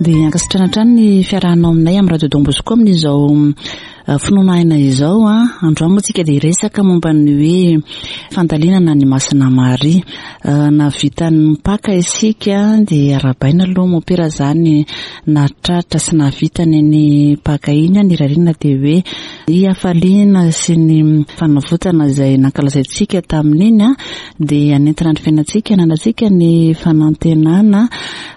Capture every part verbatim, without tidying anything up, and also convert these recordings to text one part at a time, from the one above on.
Dia ankasitrahana hatrany ny fiarahanao aminay amin'ny Radio Don Bosco amin'izao finoana aina izao. Androany moa tsika dia hiresaka momba ny hoe fandalinana ny Masina Maria. Nahavita ny Paka isika, dia arahabaina aloha mompera zany nahatratra sy nahavita ny Paka iny. Ny irariana dia hoe ny hafaliana sy ny fanavotana izay nankalazaintsika tamin'iny dia hanentana ny fiainantsika, hananantsika ny fanantenana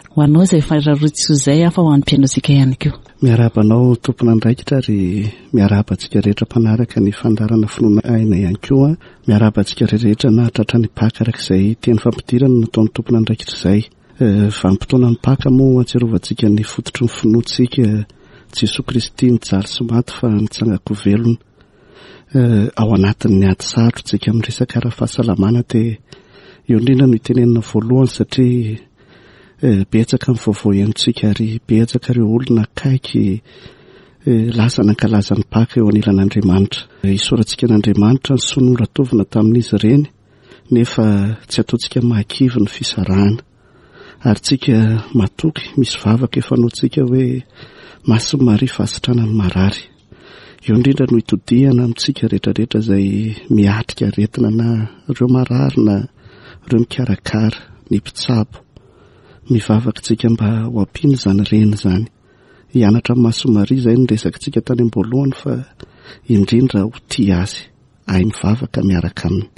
ho anao izay fararotsy izay fa ho an'ny mpihainoantsika ihany koa. Miarahaba anao tompon'andraikitra ary miarahaba antsika rehetra mpanaraka ny fandaharana finoana aina ihany koa. Miarahaba antsika rehetra nahatratra ny Paka araka izay teny fampidirana nataon'ny tompon'andraikitra izay. Vanim-potoana ny Paka moa ahatsiarovantsika ny fototry ny finoantsika Jesoa Kristy nijaly sy maty fa nitsangako velona. Ao anatin'ny ady sarotra tsika amin'ny resaka ara-pahasalamana dia eo indrindra no itenenana voalohany satria betsaka ny vaovao henontsika ary betsaka ireo olona akaiky lasa nankalaza ny Paka eo anilan'Andriamanitra. Isaorantsika an'Andriamanitra ny soa noratovina tamin'izy ireny nefa tsy ataontsika mahakivy ny fisarahana. Ary tsika matoky misy vavaka efa anaontsika hoe Masina Maria fahasitranan'ny marary. Eo indrindra no itodihana amintsika rehetrarehetra izay miatrika aretina na ireo marary na ireo mikarakara ny mpitsabo. Mivavaka tsika mba ho ampiana izany reny izany. Hianatra amin'ny Masina Maria izay no resakitsika tany am-boalohany fa indrindra ho tia azy, hahay mivavaka miaraka aminy.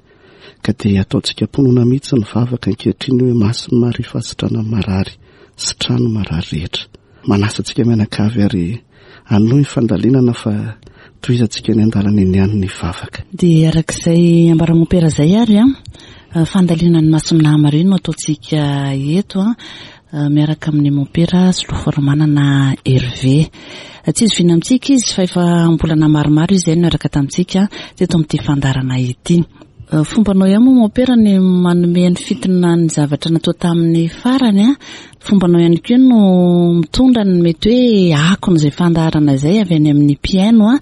Ka dia ataontsika am-pinoana mihitsy ny vavaka ankehitriny hoe Masina Maria fahasitranan'ny marary, sitrano marary rehetra. Manasa antsika mianakavy ary hanohy ny fandalinana fa tohizantsika ny andalana eny ihany ny vavaka. Dia arak'izay ambara-mompera izay ary a fandalinana ny Masina Maria no ataontsika eto a miaraka amin'ny mompera Solofoarimanana Hervé. Tsy izoviana amintsika izy fa efa am-bolana maromaro izy izay no niaraka tamintsika teto amin'ity fandaharana ity. Fombanao ihany moa mompera ny manome ny fintina ny zavatra natao tamin'ny farany a fombanao ihany koa no mitondra ny mety hoe akon'izay fandaharana izay avy any amin'ny mpihaino a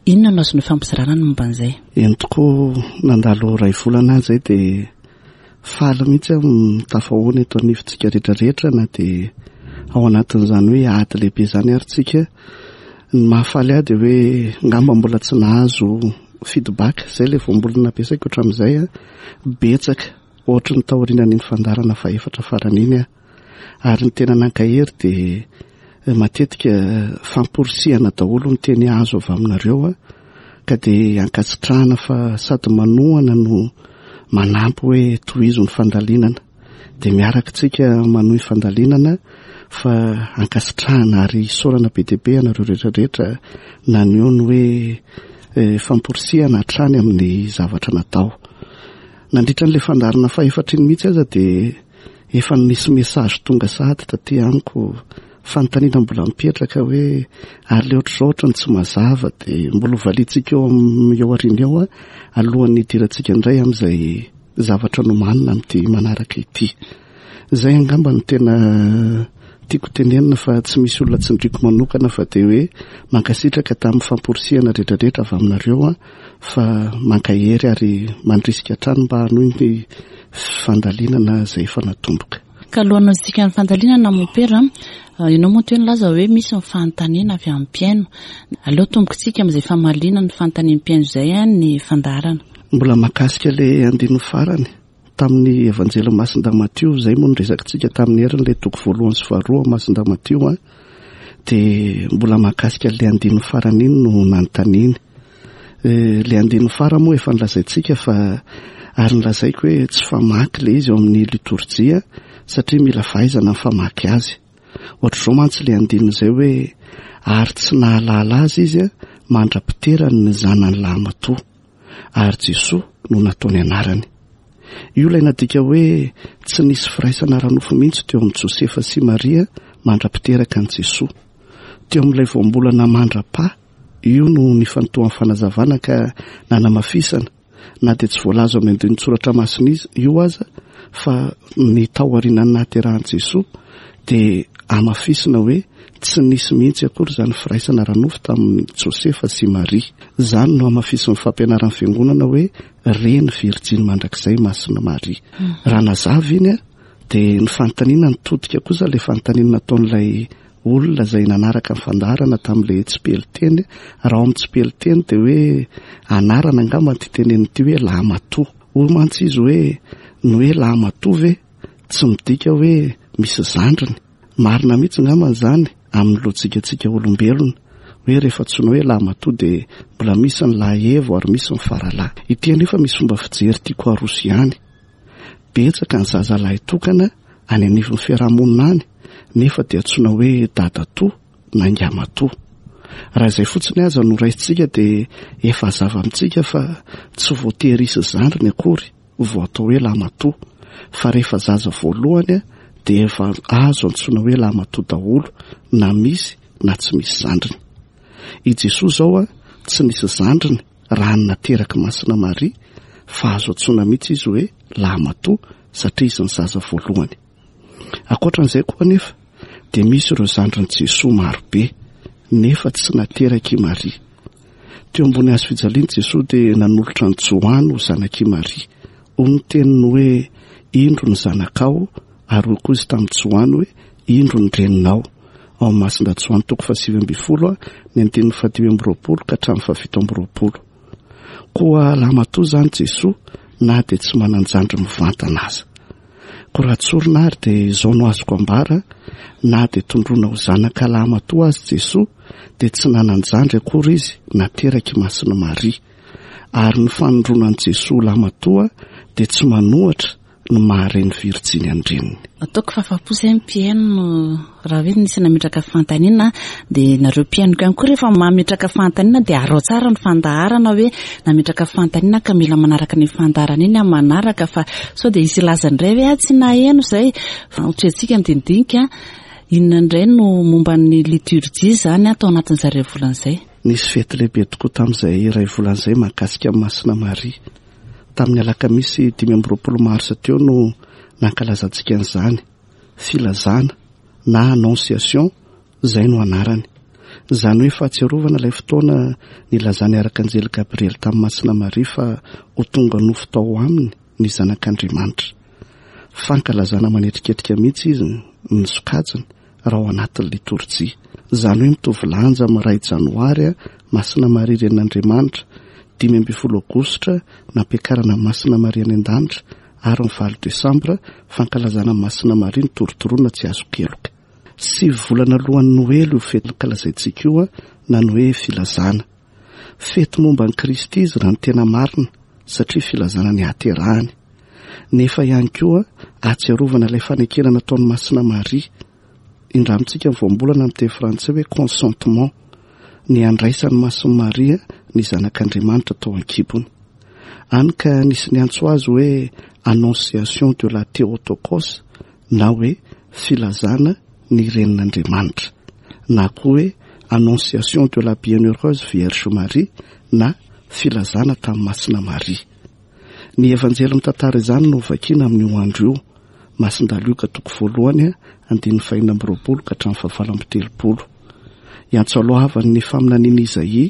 inona no azonao fampizarana ny momba an'izay? Eny tokoa, nandalo iray volana aho izay dia faly mihitsy aho mitafahoana eto anivontsika rehetrarehetra na dia ao anatin'izany hoe ady lehibe izany ary tsika. Ny mahafaly ahy dia hoe ngamba mbola tsy nahazo feedback izay ilay voambolana nampiasaiko hatramin'izay a betsaka ohatry ny taorianan'iny fandaharana fahefatra farany iny aho. Ary ny tena nankahery dia matetika famporisihana daholo ny teny azo avy aminareo a ka dia ankasitrahana fa sady manohana no manampy hoe tohizo ny fandalinana. Dia miaraka tsika manohy fandalinana fa ankasitrahana ary isaorana be dia be anareo rehetrarehetra naneho ny hoe famporisihana hatrany amin'ny zavatra natao. Nandritra n'ilay fandaharana fahefatra iny mihitsy aza dia efa nisy message tonga sahady taty amiko, fanontaniana mbola mipetraka hoe ary le ohatr'izao ohatrany tsy mazava dia mbola hovaliantsika eo amin'ny eo aoriana eo a alohan'ny hidirantsika indray amin'izay zavatra nomanina amin'ity manaraka ity. Izay angamba no tena tiako tenenina fa tsy misy olona tsindriko manokana fa dia hoe mankasitraka tamin'ny famporisihana rehetrarehetra avy aminareo a fa mankahery ary mandrisika hatrany mba hanohy ny fandalinana izay efa natomboka. Ka alohan'ny hanohizantsika ny fandalinana mompera, ianao moa teo nilaza hoe misy ny fanontaniana avy amin'ny mpihaino. Aleo tombokintsika amin'izay famaliana ny fanontanian'ny mpihaino izay ny fandaharana. Mbola mahakasika ilay andininy farany tamin'ny Evanjely Masindahy Matio, izay moa no resakitsika tamin'ny heriny ilay toko voalohany sy faharoa Masindahy Matio a dia mbola mahakasika ilay andininy farany iny no nanontaniany. Ilay andininy farany moa efa nolazaintsika fa ary nolazaiko hoe tsy famaky ilay izy eo amin'ny litorjia satria mila fahaizana ny famaky azy. Ohatr'izao mantsy ilay andininy izay hoe ary tsy nahalala azy izy mandra-piterany ny zanany lahimatoa ary Jesoa no nataony anarany. Io ilay nadika hoe tsy nisy firaisana ara-nofo mihitsy teo amin'i Josefa sy Maria mandra-piteraka an'i Jesoa. Teo amin'ilay voambolana mandra-pa io no nifantohan'ny fanazavana ka nanamafisana na dia tsy voalaza amin'ny andinin-tsoratra masina izy io aza fa ny tao aorianan'ny nahaterahan'i Jesoa dia amafisina hoe tsy nisy mihitsy akory izany firaisana ara-nofo tamin'i Josefa sy Maria. Izany no amafisin'ny fampianaran'ny fiangonana hoe reny virjiny mandrakizay Masina Maria. Raha nazava iny a dia ny fanontaniana nitodika kosa ilay fanontaniana nataon'ilay olona izay nanaraka ny fandaharana tamin'ilay tsipelin-teny. Raha ao amin'ny tsipelin-teny dia hoe anarana angamba ity tenenina ity hoe lahimatoa. Hoy mantsy izy hoe ny hoe lahimatoa ve tsy midika hoe misy zandriny. Marina mihitsy angamba izany amin'ny lojikantsika olombelona, hoe rehefa antsoina hoe lahimatoa dia mbola misy ny lahy evo ary misy ny faralahy. Ity anefa misy fomba fijery tiako aroso ihany. Betsaka ny zaza lahy tokana any anivon'ny fiarahamonina any, nefa dia antsoina hoe dadatoa na ngamatoa. Raha izay fotsiny aza no raisintsika dia efa hazava amintsika fa tsy voatery hisy zandriny akory vao atao hoe lahimatoa, fa rehefa zaza voalohany dia efa azo antsoina hoe lahimatoa daholo na misy na tsy misy zandriny. I Jesoa izao a tsy nisy zandriny raha ny nateraky Masina Maria, fa azo antsoina mihitsy izy hoe lahimatoa satria izy ny zaza voalohany. Ankoatran'izay koa anefa dia misy ireo zandrin'i Jesoa marobe nefa tsy nateraky i Maria. Teo ambony hazo fijaliana Jesoa dia nanolotra an'i Joany ho zanak'i Maria. Hoy ny teniny hoe indro ny zanakao, ary hoy koa izy tamin'i Joany hoe indro ny reninao. Ao amin'ny Masindahy Joany toko fahasivy ambin'ny folo ny andininy fahadimy amby roapolo ka hatramin'ny fahafito amby roapolo. Koa lahimatoa izany Jesoa na dia tsy manan-jandry mivantana aza. Koa raha tsorina ary dia izao no azoko ambara, na dia tondroina ho zanaka lahimatoa azy Jesoa dia tsy nanan-jandry akory izy nateraky Masina Maria. Ary ny fanondroana an'i Jesoa lahimatoa dia tsy manohatra ny maha-reny virjiny an-dreniny. Ataoko fa afa-po izay ny mpihaino raha hoe nisy nametraka fanontaniana, dia nareo mpihaino ihany koa rehefa mametraka fanontaniana dia arao tsara ny fandaharana hoe nametraka fanontaniana ka mila manaraka ny fandaharana iny amin'ny manaraka, fa sao dia hisy hilaza indray hoe ah, tsy naheno izay. Fa hotrehantsika ny dinidinika, inona indray no momba ny liturjia izany atao anatin'izay iray volana izay? Nisy fety lehibe tokoa tamin'izay iray volana izay mahakasika an'i Masina Maria. Tamin'ny alakamisy dimy amby roapolo marsa teo no nankalazantsika an'izany. Filazana na annonciation izay no anarany. Izany hoe fahatsiarovana ilay fotoana nilazan'ny arkanjely Gabriel tamin'i Masina Maria fa ho tonga nofo tao aminy ny zanak'Andriamanitra. Fankalazana manetriketrika mihitsy izy ny sokajiny raha ao anatin'ny litorjia. Izany hoe mitovy lanja amin'ny iray janoary Masina Maria renin'Andriamanitra, dimy ambin'ny folo aogositra nampiakarana Masina Maria any an-danitra, ary ny valo desambra fankalazana Masina Maria ny torotoroana tsy azo keloka. Sivy volana alohan'ny Noely io fety ankalazaintsika io na ny hoe filazana. Fety momba an'i Kristy izy raha ny tena marina, satria filazana ny haterahany. Nefa ihany koa ahatsiarovana ilay fanekena nataon'i Masina Maria. Indramintsika ny voambolana amin'ny teny frantsay hoe consentement, ny andraisan'i Masina Maria ny zanak'Andriamanitra tao an-kibony. Any ka nisy niantso azy hoe annonciation de la Théotokos na hoe filazana ny renin'Andriamanitra, na koa hoe annonciation de la Bienheureuse Vierge Marie na filazana tamin'i Masina Maria. Ny Evanjely mitantara izany no vakina amin'io andro io. Masindahy Lioka toko voalohany andininy fahenina amby roapolo ka hatramin'ny fahavalo amby telopolo. Iantso alohavan'ny faminaniana Izaia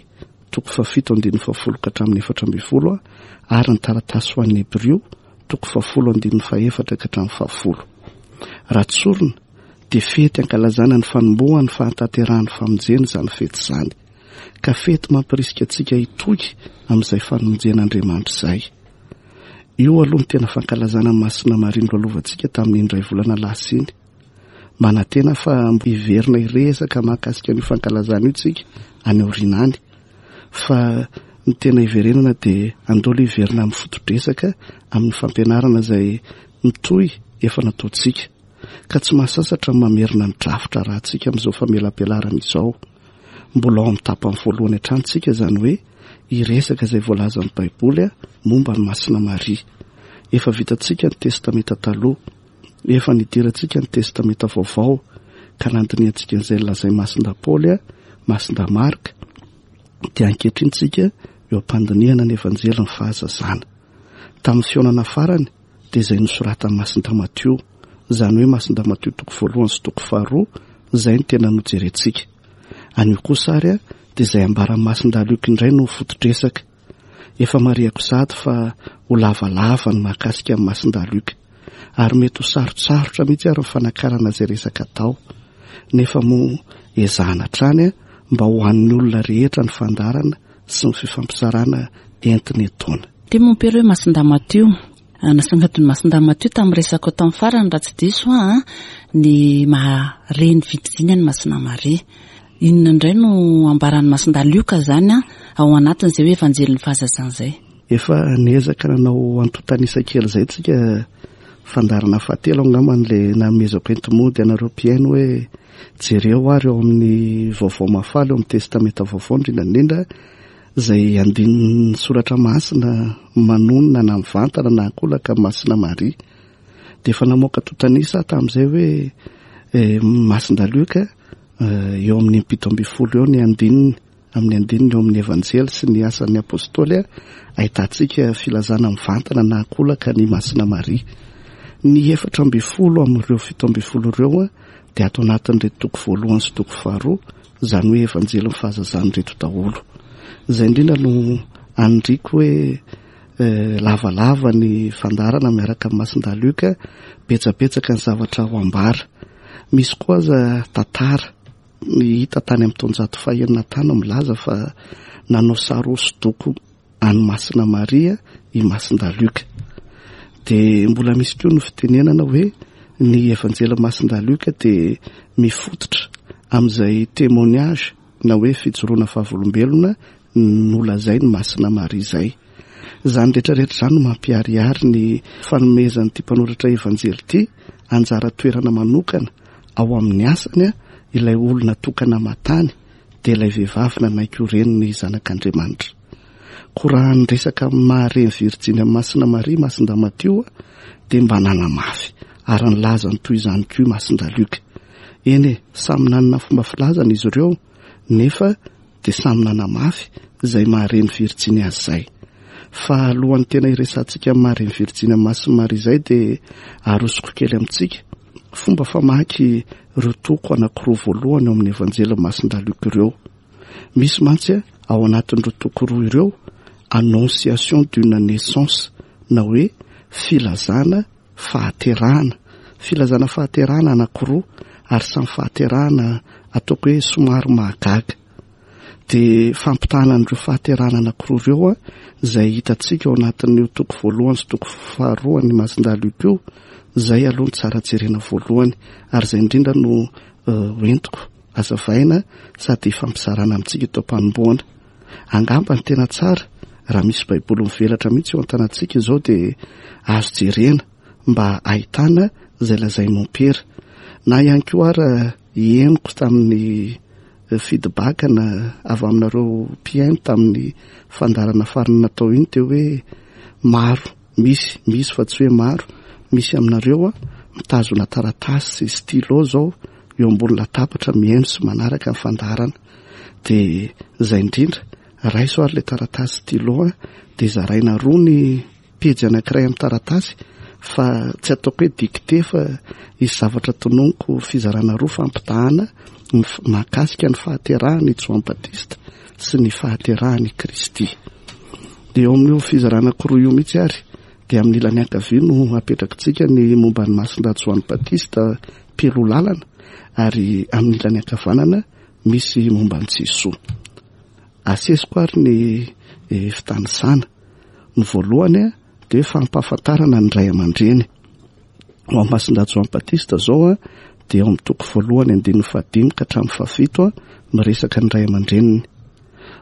toko fahafito andininy fahafolo ka hatramin'ny efatra ambin'ny folo ary ny taratasy ho an'ny Hebrio toko fahafolo andininy fahefatra ka hatramin'ny fahafolo. Raha tsorina dia fety ankalazana ny fanombohan'ny fahatanterahan'ny famonjena izany fety izany, ka fety mampirisika antsika hitoky amin'izay famonjen'Andriamanitra izay. Io aloha ny tena fankalazana Masina Maria nolalovantsika tamin'ny indray volana lasa iny. Manantena fa hiverina hiresaka mahakasika an'io fankalazana io tsika any aoriana any, fa ny tena hiverenana dia andao aloha hiverina amin'ny foto-dresaka amin'ny fampianarana izay mitohy efa nataontsika, ka tsy mahasasatra ny mamerina ny drafitra rahantsika amin'izao famelabelarana izao. Mbola ao amin'ny tapany voalohany hatrany tsika, izany hoe hiresaka izay voalazan'ny Baiboly momba ny Masina Maria. Efa vitantsika ny Testamenta taloha, efa nidirantsika ny Testamenta vaovao, ka nandinihantsika an'izay nolazain'i Masindahy Paoly, Masindahy Marka, dia ankehitriny tsika eo am-pandinihana ny Evanjelin'ny fahazazana. Tamin'ny fihaonana farany dia izay nosoratan'i Masindahy Matio, izany hoe Masindahy Matio toko voalohany sy toko faharoa, izay no tena nojerentsika. Anio kosa ary dia izay ambaran'i Masindahy Lioka indray no foto-dresaka. Efa marihako sady fa ho lavalava ny mahakasika an'i Masindahy Lioka, ary mety ho sarotsarotra mihitsy ary ny fanakarana izay resaka atao. Nefa moa ezahana hatrany mba ho an'ny olona rehetra ny fandaharana sy ny fifampizarana entina etoana. Dia mompera hoe Masindahy Matio, nasongadin'i Masindahy Matio tamin'ny resaka tamin'ny farany raha tsy diso aho ny maha reny virjiny an'i Masina Maria. Inona indray no ambaran'i Masindahy Lioka zany ao anatin'izay hoe evanjelin'ny fahazazana izay? Efa niezaka nanao antontanisa kely izay tsika, fandaharana fahatelo angamba n'ilay namezako enti-mody anareo mpihaino hoe jereo ary eo amin'ny vaovao mahafaly eo amin'ny testamenta vaovao indrindra indrindra izay andininy soratra masina manonona na mivantana na ankolaka Masina Maria. Dia efa namoaka antontanisa tamin'izay hoe Masindahy Lioka eo amin'ny impito ambin'ny folo eo ny andininy, amin'ny andininy eo amin'ny evanjely sy ny asan'ny apôstôly ahitantsika filazana mivantana na ankolaka ny Masina Maria. Ny efatra ambin'ny folo amin'ireo fito ambin'ny folo ireo dia ato anatin'ireto toko voalohany sy toko faharoa, izany hoe evanjelin'ny fahazazana ireto daholo. Izay indrindra no anindriko hoe lavalava ny fandaharana miaraka amin'ny Masindahy Lioka, betsabetsaka ny zavatra ho ambara. Misy koa aza tantara hita tany amin'ny taonjato fahenina tany milaza fa nanao sary hosodoko an'i Masina Maria i Masindahy Lioka. Dia mbola misy koa ny fitenenana hoe ny evanjely Masindahy Lioka dia mifototra amin'izay témoignage na hoe fijoroana fahavolombelona nolazain'i Masina Maria izay. Izany rehetrarehetra izany no mampiharihary ny fanomezan'ity mpanoratra evanjely ity anjara toerana manokana ao amin'ny asany ilay olona tokana matany dia ilay vehivavy nanaiky ho reniny zanak'Andriamanitra. Koa raha ny resaka maha-reny virjiny amin'i Masina Maria Masindahy Matio dia mba nanamafy ary nilaza ny toy izany koa Masindahy Lioka. Eny e, samy nanana fomba filazana izy ireo nefa dia samy nanamafy izay maha-reny virjiny azy izay. Fa alohan'ny tena hiresahantsika amin'ny maha-reny virjiny amin'i Masina Maria izay dia arosoko kely amintsika fomba famaky ireo toko anankiroa voalohany eo amin'ny evanjely Masindahy Lioka ireo. Misy mantsy ao anatin'ireo toko roa ireo annonciation d'une naissance na hoe filazana fahaterahana. Filazana fahaterahana anankiroa ary samy fahaterahana ataoko hoe somary mahagaga. Dia fampitahana an'ireo fahaterahana anankiroa ireo izay hitantsika ao anatin'io toko voalohany sy toko faharoa ny Masindahy Lioka io, izay aloha ny tsara jerena voalohany ary izay indrindra no hoentiko azavaina sady fampizarana amintsika eto am-panombohana. Angamba ny tena tsara raha misy baiboly mivelatra mihitsy eo an-tanantsika izao dia azo jerena mba ahitana izay lazain'i mompera. Na ihany koa ary henoko tamin'ny feedback na avy aminareo mpihaino tamin'ny fandaharana farany natao iny teo hoe maro, misy, misy fa tsy hoe maro, misy aminareo mitazona taratasy sy stylo zao eo ambony latabatra mihaino sy manaraka ny fandaharana. Dia izay indrindra, raiso ary ilay taratasy stylo dia zaraina roa ny pejy anankiray amin'ny taratasy fa tsy ataoko hoe dictée fa hisy zavatra tononiko fizarana roa fampitahana mahakasika ny fahaterahan'i Joan Batista sy ny fahaterahan'i Kristy. Dia eo amin'io fizarana anankiroa io mihitsy ary dia amin'ny ilany ankavia no apetrakitsika ny momba ny Masindahy Joan Batista mpialoha lalana ary amin'ny ilany ankavanana misy momba an'i Jesoa. Asesiko ary ny fitanisana. Ny voalohany dia fampahafantarana ny ray aman-dreny. Ho an'i Masindahy Joan Batista zao dia eo amin'ny toko voalohany andininy fahadimy ka hatramin'ny fahafito miresaka ny ray aman-dreniny.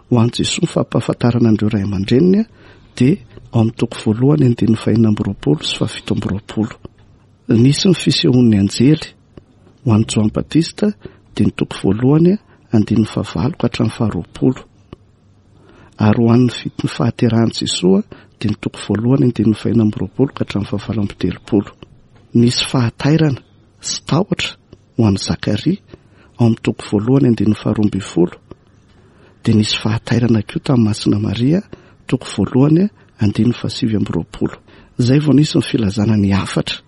Ho an'i Jesoa ny fampahafantarana an'ireo ray aman-dreniny dia ao amin'ny toko voalohany andininy fahenina amby roapolo sy fahafito amby roapolo. Nisy ny fisehoan'ny anjely ho an'i Joan Batista dia ny toko voalohany andininy fahavalo ka hatramin'ny faharoapolo. Ary ho an'ny fit-, ny fahaterahan'i Jesoa dia ny toko voalohany andininy fahenina amby roapolo ka hatramin'ny fahavalo amby telopolo. Nisy fahatairana sy tahotra ho an'i Zakaria ao amin'ny toko voalohany andininy faharoa ambin'ny folo. Dia nisy fahatairana koa tamin'i Masina Maria toko voalohany andininy fahasivy amby roapolo. Izay vao nisy ny filazana ny hafatra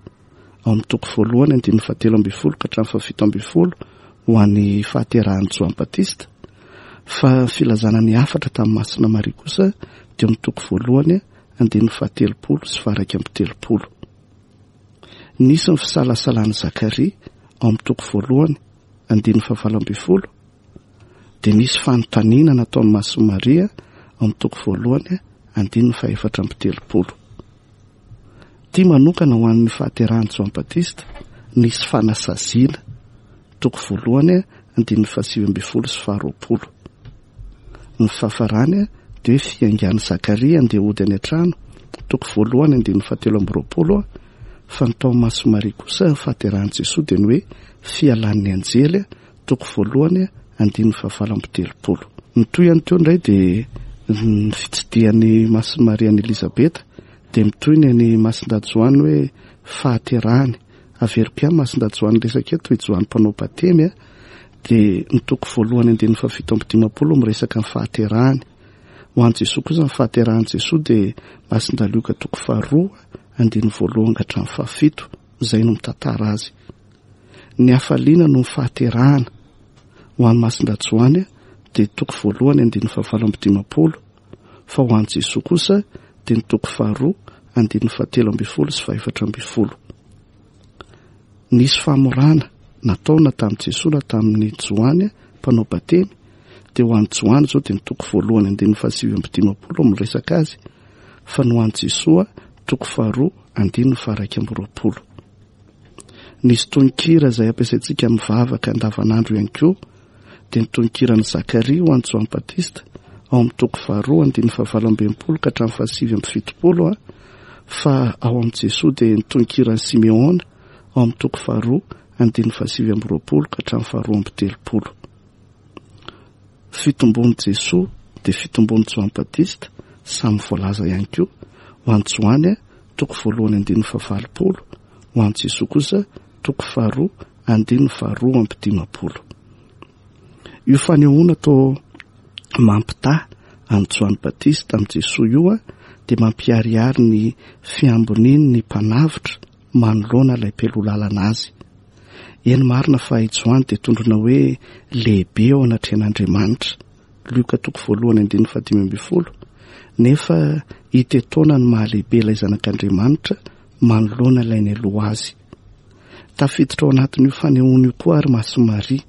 ao amin'ny toko voalohany andininy fahatelo ambin'ny folo ka hatramin'ny fahafito ambin'ny folo ho an'ny fahaterahan'i Joan Batista. Fa filazana ny hafatra tamin'i Masina Maria kosa dia amin'ny toko voalohany andininy fahatelopolo sy faharaika amby telopolo. Nisy ny fisalasalan'i Zakaria ao amin'ny toko voalohany andininy fahavalo ambin'ny folo, dia nisy fanontaniana nataon'i Masina Maria ao amin'ny toko voalohany andininy fahaefatra amby telopolo. Ity manokana ho an'ny fahaterahan'i Joany Batista, nisy fanasaziana, toko voalohany andininy fahasivy ambin'ny folo sy faharoapolo. Ny fahafarany dia hoe fiaingan'i Zakaria andeha hody any an-trano, toko voalohany andininy fahatelo amby roapolo, fa ny tao Masina Maria kosa fahaterahan'i Jesoa dia ny hoe fialan'ny anjely, toko voalohany andininy fahavalo amby telopolo. Ny tohiny teo indray dia ny fitsidihan'i Masina Maria an'i Elizabeta, dia mitohy ny an'i Masindahy Joany hoe fahaterahany. Averiko ihany Masindahy Joany resaka eto, i Joany mpanao batemy, dia ny toko voalohany andininy fahafito amby dimampolo miresaka ny fahaterahany. Ho an'i Jesoa kosa ny fahaterahan'i Jesoa dia Masindahy Lioka toko faharoa andininy voalohany ka hatramin'ny fahafito, izay no mitantara azy. Ny hafaliana no ny fahaterahana. Ho an'i Masindahy Joany dia toko voalohany andininy fahavalo amby dimampolo, fa ho an'i Jesoa kosa dia ny toko faharoa andininy fahatelo ambin'ny folo sy fahefatra ambin'ny folo. Nisy famorana nataona tamin'i Jesoa na tamin'i Joany mpanao batemy, dia ho an'i Joany izao dia ny toko voalohany andininy fahasivy amby dimampolo miresaka azy, fa ny ho an'i Jesoa toko faharoa andininy faharaika amby roapolo. Nisy tononkira izay ampiasaintsika amin'ny vavaka andavanandro ihany koa, dia ny tononkiran'i Zakaria ho an'i Joany Batista ao amin'ny toko faharoa andininy fahavalo amby enimpolo ka hatramin'ny fahasivy amby fitopolo, fa ao amin'i Jesoa dia ny tononkiran'i Simeona ao amin'ny toko faharoa andininy fahasivy amby roapolo ka hatramin'ny faharoa amby telopolo. Fitombon'i Jesoa dia fitombon'i Joany Batista samy voalaza ihany koa. Ho an'i Joany toko voalohany andininy fahavalopolo, ho an'i Jesoa kosa toko faharoa andininy faharoa amby dimampolo. Io fanehoana atao mampitaha an'i Joany Batista amin'i Jesoa io dia mampiharihary ny fiamboniany ny mpanavotra manoloana ilay mpialoha azy. Eny marina fa i Joany dia tondrona hoe lehibe eo anatrehan'Andriamanitra, Lioka toko voalohany andininy fahadimy ambin'ny folo, nefa hita etoana ny mahalehibe ilay zanak'Andriamanitra manoloana ilay nialoha azy. Tafiditra ao anatin'io fanehoana io koa ary Masina Maria.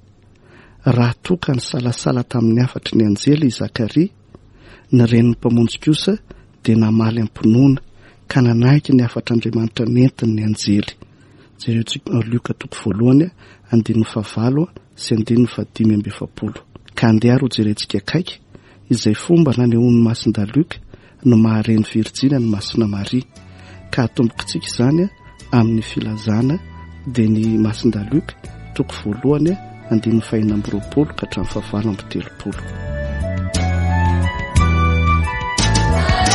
Raha toa ka nisalasala tamin'ny hafatry ny anjely i Zakaria, ny renin'ny mpamonjy kosa dia namaly am-pinoana ka nanaiky ny hafatr'Andriamanitra nentin'ny anjely. Jereo tsika Lioka toko voalohany andininy fahavalo sy andininy fahadimy amby efapolo. Ka andeha ary ho jerentsika akaiky izay fomba nanehoan'ny Masindahy Lioka no mahareny virjiny an'i Masina Maria. Ka atombokitsika izany amin'ny filazana dia ny Masindahy Lioka toko voalohany andininy fahenina amby roapolo ka hatramin'ny fahavalo amby telopolo. Bye.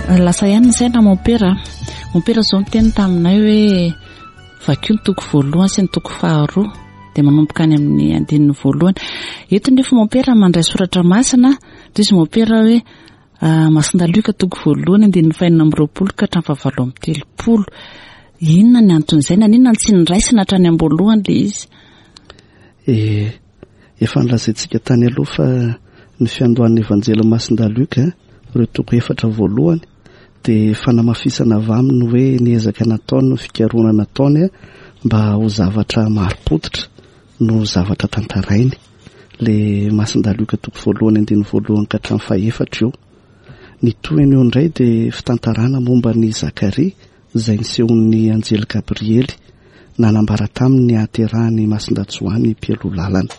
Lasa ihany ny saina mompera. Mompera izao niteny taminay hoe vakio ny toko voalohany sy ny toko faharoa, dia manomboka any amin'ny andininy voalohany. Eto nefa mompera mandray soratra masina, dia izy mompera hoe Masindahy Lioka toko voalohany andininy fahenina amby roapolo ka hatramin'ny fahavalo amby telopolo. Inona ny anton'izay? Naninona no tsy niraisina hatrany am-boalohany ilay izy? Eh, efa nolazaintsika tany aloha fa ny fiandohan'ny Evanjely Masindahy Lioka, ireo toko efatra voalohany, dia fanamafisana avy aminy hoe ny ezaka nataony, ny fikarohana nataony mba ho zavatra marim-pototra no zavatra tantarainy. Le Masindahy Lioka toko voalohany andininy voalohany ka hatramin'ny fahefatra io. Ny tohiny eo indray dia fitantarana momba ny Zakaria izay nisehon'ny anjely Gabriely nanambara taminy ny hahaterahany Masindahy Joany mpialoha lalana.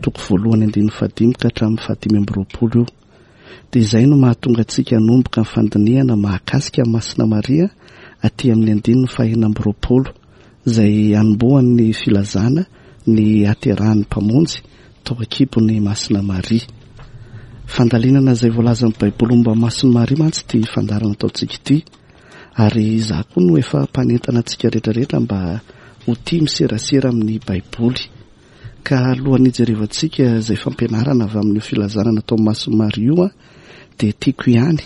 Toko voalohany andininy fahadimy ka hatramin'ny fahadimy amby roapolo io. Dia izay no mahatonga antsika hanomboka ny fandinihana mahakasika Masina Maria aty amin'ny andininy fahenina amby roapolo, izay hanombohan'ny filazana ny hahaterahan'ny Mpamonjy tao an-kibon'ny Masina Maria. Fandalinana izay voalazan'ny Baiboly momba Masina Maria mantsy ity fandaharana ataontsika ity, ary izaho koa no efa mpanentana antsika rehetrarehetra mba ho tia miserasera amin'ny Baiboly. Ka alohan'ny hijerevantsika izay fampianarana avy amin'io filazana natao Masina Maria io, dia tiako ihany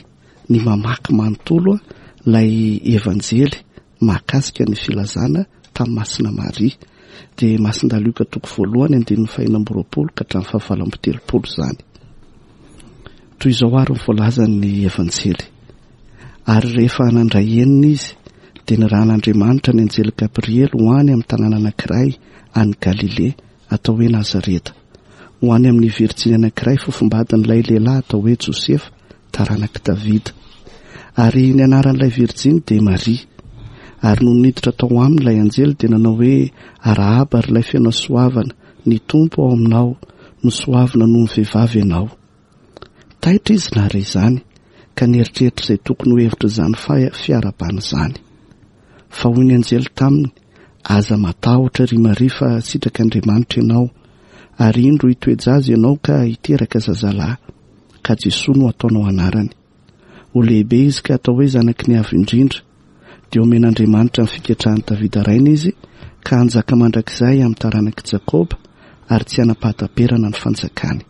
ny mamaky manontolo ilay Evanjely mahakasika ny filazana tamin'ny Masina Maria. Dia Masindahy Lioka toko voalohany andininy fahenina amby roapolo ka hatramin'ny fahavalo amby telopolo izany. Toy izao ary ny voalazan'ny Evanjely. Ary rehefa nandray enina izy, dia nirahan'Andriamanitra ny anjely Gabriely ho any amin'ny tanàna anankiray any Galilea atao hoe Nazareta, ho any amin'ny virjiny anankiray fofombadin'ilay lehilahy atao hoe Josefa, taranak'i Davida. Ary ny anaran'ilay virjiny dia Maria. Ary nony niditra tao aminy ilay anjely dia nanao hoe: Arahaba ry ilay feno hasoavana, ny Tompo ao aminao, nosoavina noho ny vehivavy ianao. Taitra izy nahare izany, ka nieritreritra izay tokony ho hevitra izany fiarahabana izany. Fa hoy ny anjely taminy: Aza matahotra ry Maria, fa sitrak'Andriamanitra ianao, ary indro hitoe-jaza ianao ka hiteraka zazalahy, ka Jesoa no ataonao anarany. Ho lehibe izy ka atao hoe zanaky ny Avo Indrindra, dia omen'Andriamanitra ny fiketrahan'i Davida rainy izy, ka hanjaka mandrakizay amin'ny taranak'i Jakoba, ary tsy hanam-pahataperana ny fanjakany.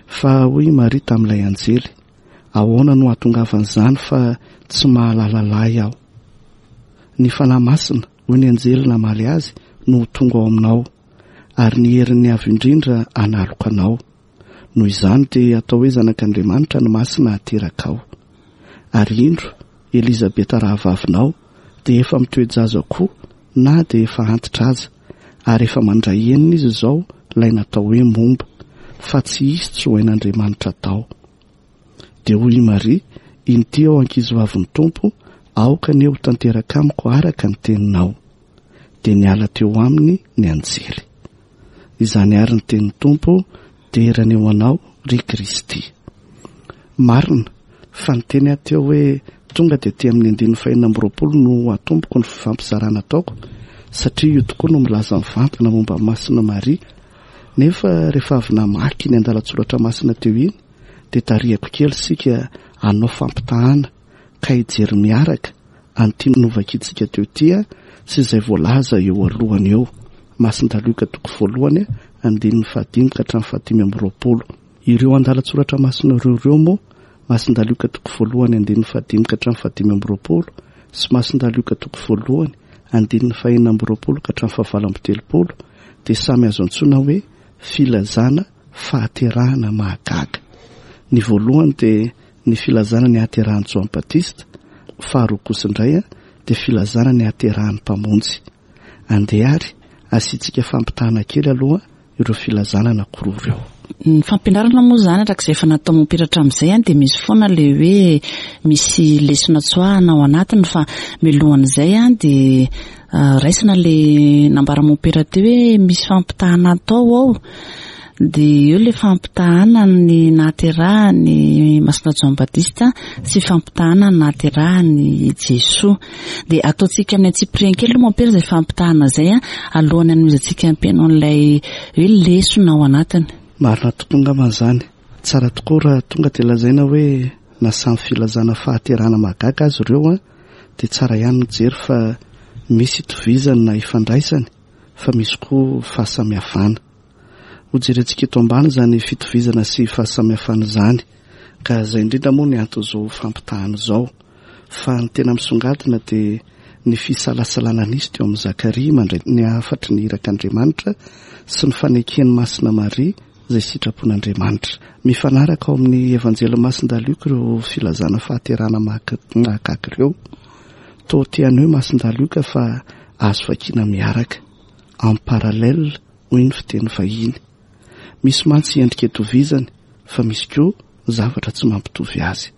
Fa hoy Maria tamin'ilay anjely: Ahoana no hahatongavan'izany fa tsy mahalala lahy aho? Ny Fanahy Masina, hoy ny anjely namaly azy, no ho tonga ao aminao, ary ny herin'ny Avo Indrindra hanaloka anao. Noho izany dia atao hoe zanak'Andriamanitra ny Masina haterakao. Ary indro, Elizabeta rahavavinao dia efa mitoe-jaza koa na dia efa antitra aza, ary efa mandray enina izy izao ilay natao hoe momba, fa tsy hisy tsy ho hain'Andriamanitra atao. Dia hoy i Maria: Inty aho ankizivavin'ny Tompo, aoka anie ho tanteraka amiko araka ny teninao. Dia niala teo aminy ny anjely. Izany ary ny tenin'ny Tompo, derany ho anao ry Kristy. Marina fa ny teny aho teo hoe tonga dia aty amin'ny andininy fahenina amby roapolo no atomboko ny fifampizarana ataoko, satria io tokoa no milaza mivantana momba Masina Maria. Nefa rehefa avy namaky ny andalan-tsoratra masina teo iny, dia tarihako kely isika hanao fampitahana ka hijery miaraka an'ity novakintsika teo ity sy izay voalaza eo alohany eo. Masindahy Lioka toko voalohany andininy fahadimy ka hatramin'ny fahadimy amby roapolo. Ireo andalan-tsoratra masina ireo ireo moa, Masindahy Lioka toko voalohany andininy fahadimy ka hatramin'ny fahadimy amby roapolo sy Masindahy Lioka toko voalohany andininy fahenina amby roapolo ka hatramin'ny fahavalo amby telopolo, dia samy azo antsoina hoe filazana fahaterahana mahagaga. Ny voalohany dia ny filazana ny hahaterahan'i Joany Batista, faharoa kosa indray dia filazana ny hahaterahan'ny Mpamonjy. Andeha ary asiantsika fampitahana kely aloha ireo filazana anankiroa ireo. Ny fampianarana moa izany araka izay efa natao mompera hatramin'izay dia misy foana ilay hoe misy lesona tsoahana ao anatiny, fa mialohan'izay dia raisina ilay nambara mompera teo hoe misy fampitahana atao ao. Dia eo ilay fampitahana ny nahaterahany Masina Joany Batista sy fampitahana ny nahaterahany Jesoa. Dia ataontsika amin'ny antsipiriany kely aloha mompera izay fampitahana izay alohan'ny hanomezantsika ampianao an'ilay hoe lesona ao anatiny. Marina tokoa angamba izany. Tsara tokoa raha tonga dia lazaina hoe Na samy filazana fahaterahana mahagaga azy ireo a dia tsara ihany mijery fa misy itovizany na ifandraisany, fa misy koa fahasamihafana. Hojerentsika eto ambany izany fitovizana sy fahasamihafana izany, ka izay indrindra moa ny anton'izao fampitahana izao. Fa ny tena misongadina dia ny fisalasalana nisy teo amin'i Zakaria mandray ny hafatry ny irak'Andriamanitra sy ny faneken'i Masina Maria izay sitrapon'Andriamanitra. Mifanaraka ao amin'ny Evanjely Masindahy Lioka ireo filazana fahaterahana mahagaga ireo. Toa te haneho Masindahy Lioka fa azo vakiana miaraka, en parallèle hoy ny fiteny vahiny. Misy mantsy endrika itovizany fa misy koa zavatra tsy mampitovy azy.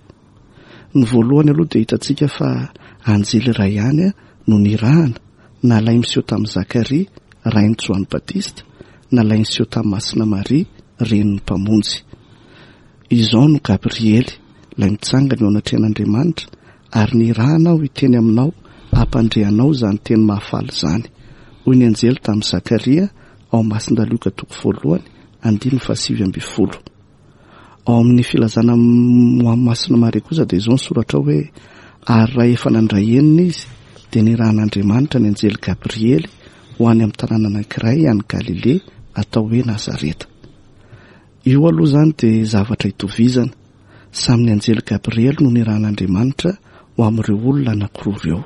Ny voalohany aloha dia hitantsika fa anjely iray ihany no nirahana, nalay miseho tamin'i Zakaria, rain'i Joany Batista, nalay niseho tamin'i Masina Maria, renin'ny Mpamonjy. Izao no Gabriely, ilay mitsangana eo anatrehan'Andriamanitra, ary nirahana aho hiteny aminao, hampandre anao izany teny mahafaly izany. Hoy ny anjely tamin'i Zakaria ao Masindahy Lioka toko voalohany, andininy fahasivy ambin'ny folo. Ao amin'ny filazana ho an'i Masina Maria kosa dia izao ny soratra ao hoe: ary raha efa nandray enina izy, dia nirahan'Andriamanitra ny anjely Gabriely ho any amin'ny tanàna anankiray any Galilea atao hoe Nazareta. Io aloha izany dia zavatra itovizana. Samy ny anjely Gabriely no nirahan'Andriamanitra ho amin'ireo olona anankiroa ireo.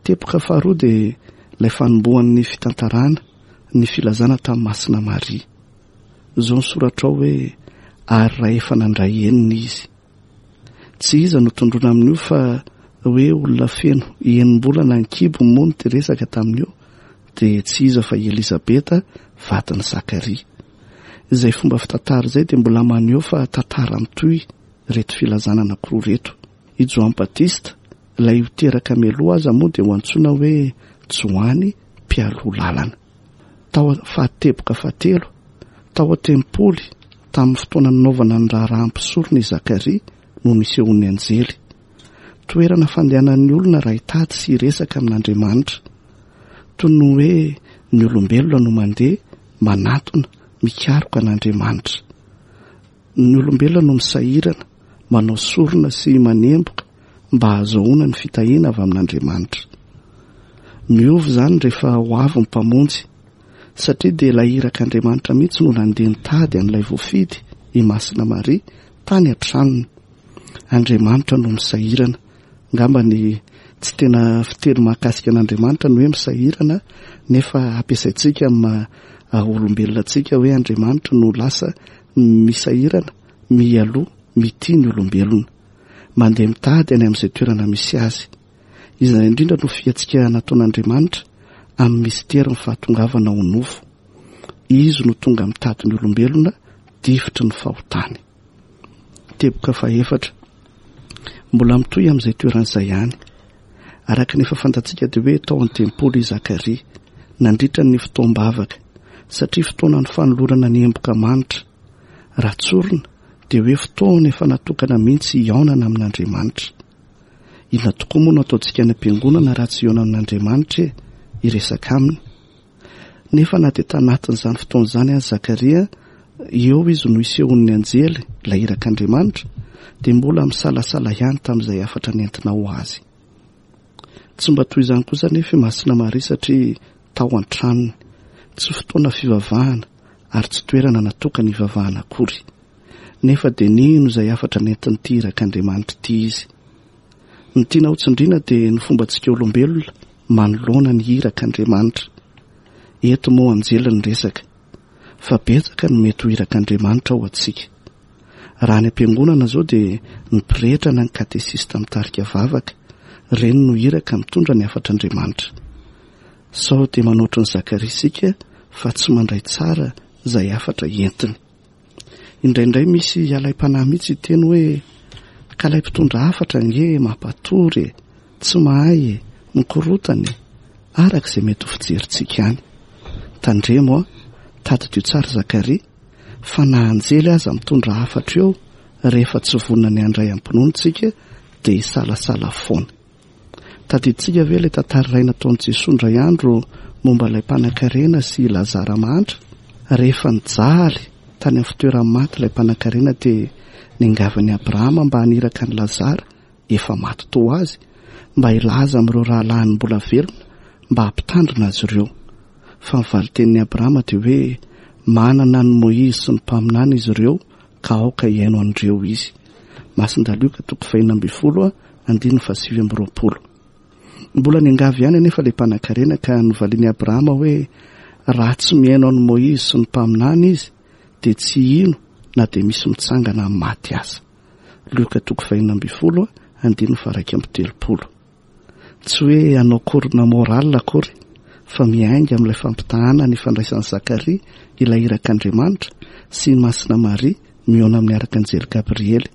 Teboka faharoa dia ilay fanombohan'ny fitantarana ny filazana tamin'i Masina Maria. Izao ny soratra ao hoe: ary raha efa nandray enina izy. Tsy iza no tondroina amin'io fa hoe olona feno enim-bolana an-kibo moa no te-resaka tamin'io, dia tsy iza fa i Elizabeta vadin'i Zakaria. Izay fomba fitantara izay dia mbola maneho fa tantara mitohy ireto filazana anankiroa ireto. I Joany Batista, ilay ho teraka mialoha aza moa dia ho antsoina hoe Joany mpialoha lalana. Tao fahateboka fahatelo, tao an-tempoly tamin'ny fotoana nanaovana ny raharaham-pisorona i Zakaria no nisehoan'ny anjely. Toerana fandehanan'ny olona raha hitady sy hiresaka amin'Andriamanitra. Toy ny hoe ny olombelona no mandeha manatona mikaroka an'Andriamanitra. Ny olombelona no misahirana, manao sorona sy manemboka mba hahazoana ny fitahiana avy amin'Andriamanitra. Miova izany rehefa ho avy ny Mpamonjy, satria dia ilay irak'Andriamanitra mihitsy no nandeha nitady an'ilay voafidy, i Masina Maria, tany an-tranony. Andriamanitra no misahirana. Angamba ny tsy tena fiteny mahakasika an'Andriamanitra ny hoe misahirana, nefa ampiasaintsika amin'ny maha olombelona antsika hoe Andriamanitra no lasa misahirana, mialoha, mitia ny olombelona. Mandeha mitady any amin'izay toerana misy azy. Izany indrindra no fihetsika nataon'Andriamanitra amin'ny misterin'ny fahatongavana ho nofo. Izy no tonga mitady ny olombelona difotry ny fahotany. Teboka fahefatra, mbola mitohy amin'izay toeran'izay ihany. Araka ny efa fantatsika dia hoe tao an-tempoly i Zakaria nandritra ny fotoam-bavaka, satria fotoana ny fanolorana ny emboka manitra. Raha tsorina dia hoe fotoana efa natokana mihitsy hihaonana amin'Andriamanitra. Inona tokoa moa no ataontsika any am-piangonana raha tsy hihaona amin'Andriamanitra e, hiresaka aminy? Nefa na dia tanatin'izany fotoana izany aza Zakaria, eo izy no isehoan'ny anjely, ilay irak'Andriamanitra, dia mbola misalasala ihany tamin'izay hafatra nentina ho azy. Tsy mba toy izany kosa nefa i Masina Maria, satria tao an-tranony, tsy fotoana fivavahana ary tsy toerana natokana hivavahana akory. Nefa dia nino izay hafatra nentin'ity irak'Andriamanitra ity izy. Ny tiana hotsindriana dia ny fombantsika olombelona manoloana ny irak'Andriamanitra. Eto moa anjely ny resaka, fa betsaka no mety ho irak'Andriamanitra ho antsika. Raha any am-piangonana izao dia ny pretra na ny katesista mitarika vavaka, ireny no iraka mitondra ny hafatr'Andriamanitra. Sao dia manoatra ny Zakaria isika fa tsy mandray tsara izay hafatra entiny. Indraindray misy alaim-panahy mihitsy hiteny hoe ka ilay mpitondra hafatra ange mampatory e, tsy mahay e, mikorotana e, araka izay mety ho fijerintsika any. Tandremo a, tadidio tsara Zakaria, fa na anjely aza mitondra hafatra eo, rehefa tsy vonona ny handray am-pinoana isika dia hisalasala foana. Tadidintsika ve ilay tantara iray nataon'i Jesoa indray andro momba ilay mpanankarena sy Lazara mahantra? Rehefa nijaly tany amin'ny fitoeran'ny maty ilay mpanankarena dia Niangavin'i Abrahama mba haniraka an'i Lazara, efa maty toa azy, mba hilaza amin'ireo rahalahiny mbola velona mba hampitandrina azy ireo. Fa ny valin-tenin'i Abrahama dia hoe manana an'i Moizy sy ny mpaminany izy ireo ka aoka hihaino an'ireo izy. Masindahy Lioka toko fahenina ambin'ny folo andininy fahasivy amby roapolo. Mbola niangavy ihany anefa ilay mpanankarena ka novalian'i Abrahama hoe raha tsy mihaino an'i Moizy sy ny mpaminany izy dia tsy hino na dia misy mitsangana amin'ny maty aza. Lioka toko fahenina ambin'ny folo andininy faha-iraika amby telopolo. Tsy hoe hanao korona moral akory fa miainga amin'ilay fampitahana ny fandraisan'i Zakaria ilay irak'Andriamanitra sy i Masina Maria mihaona amin'ny arkanjely Gabriely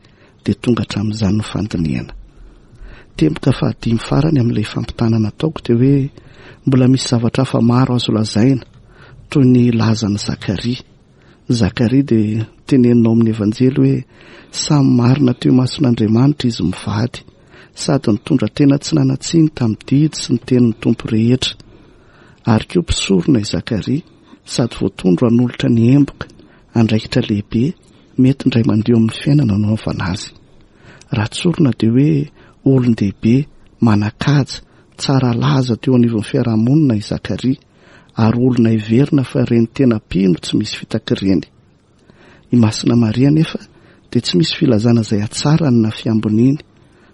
dia tonga hatramin'izany ny fandinihana. Tempoka fahadimy farany amin'ilay fampitahana nataoko dia hoe mbola misy zavatra hafa maro azo lazaina toy ny lazan'i Zakaria. Zakaria dia teneninao amin'ny Evanjely hoe samy marina teo imason'Andriamanitra izy mivady sady nitondra tena tsy nanan-tsiny tamin'ny didy sy ny tenin'ny Tompo rehetra. Ary koa mpisorona i Zakaria sady voatondro hanolotra ny emboka, andraikitra lehibe mety indray mandeha amin'ny fiainana nanaovana azy. Raha tsorina dia hoe olon-dehibe manan-kaja tsara laza teo anivon'ny fiarahamonina i Zakaria ary olona heverina fa ireny tena mpino tsy misy fitaka ireny. I Masina Maria nefa dia tsy misy filazana izay hatsarany na fiamboniany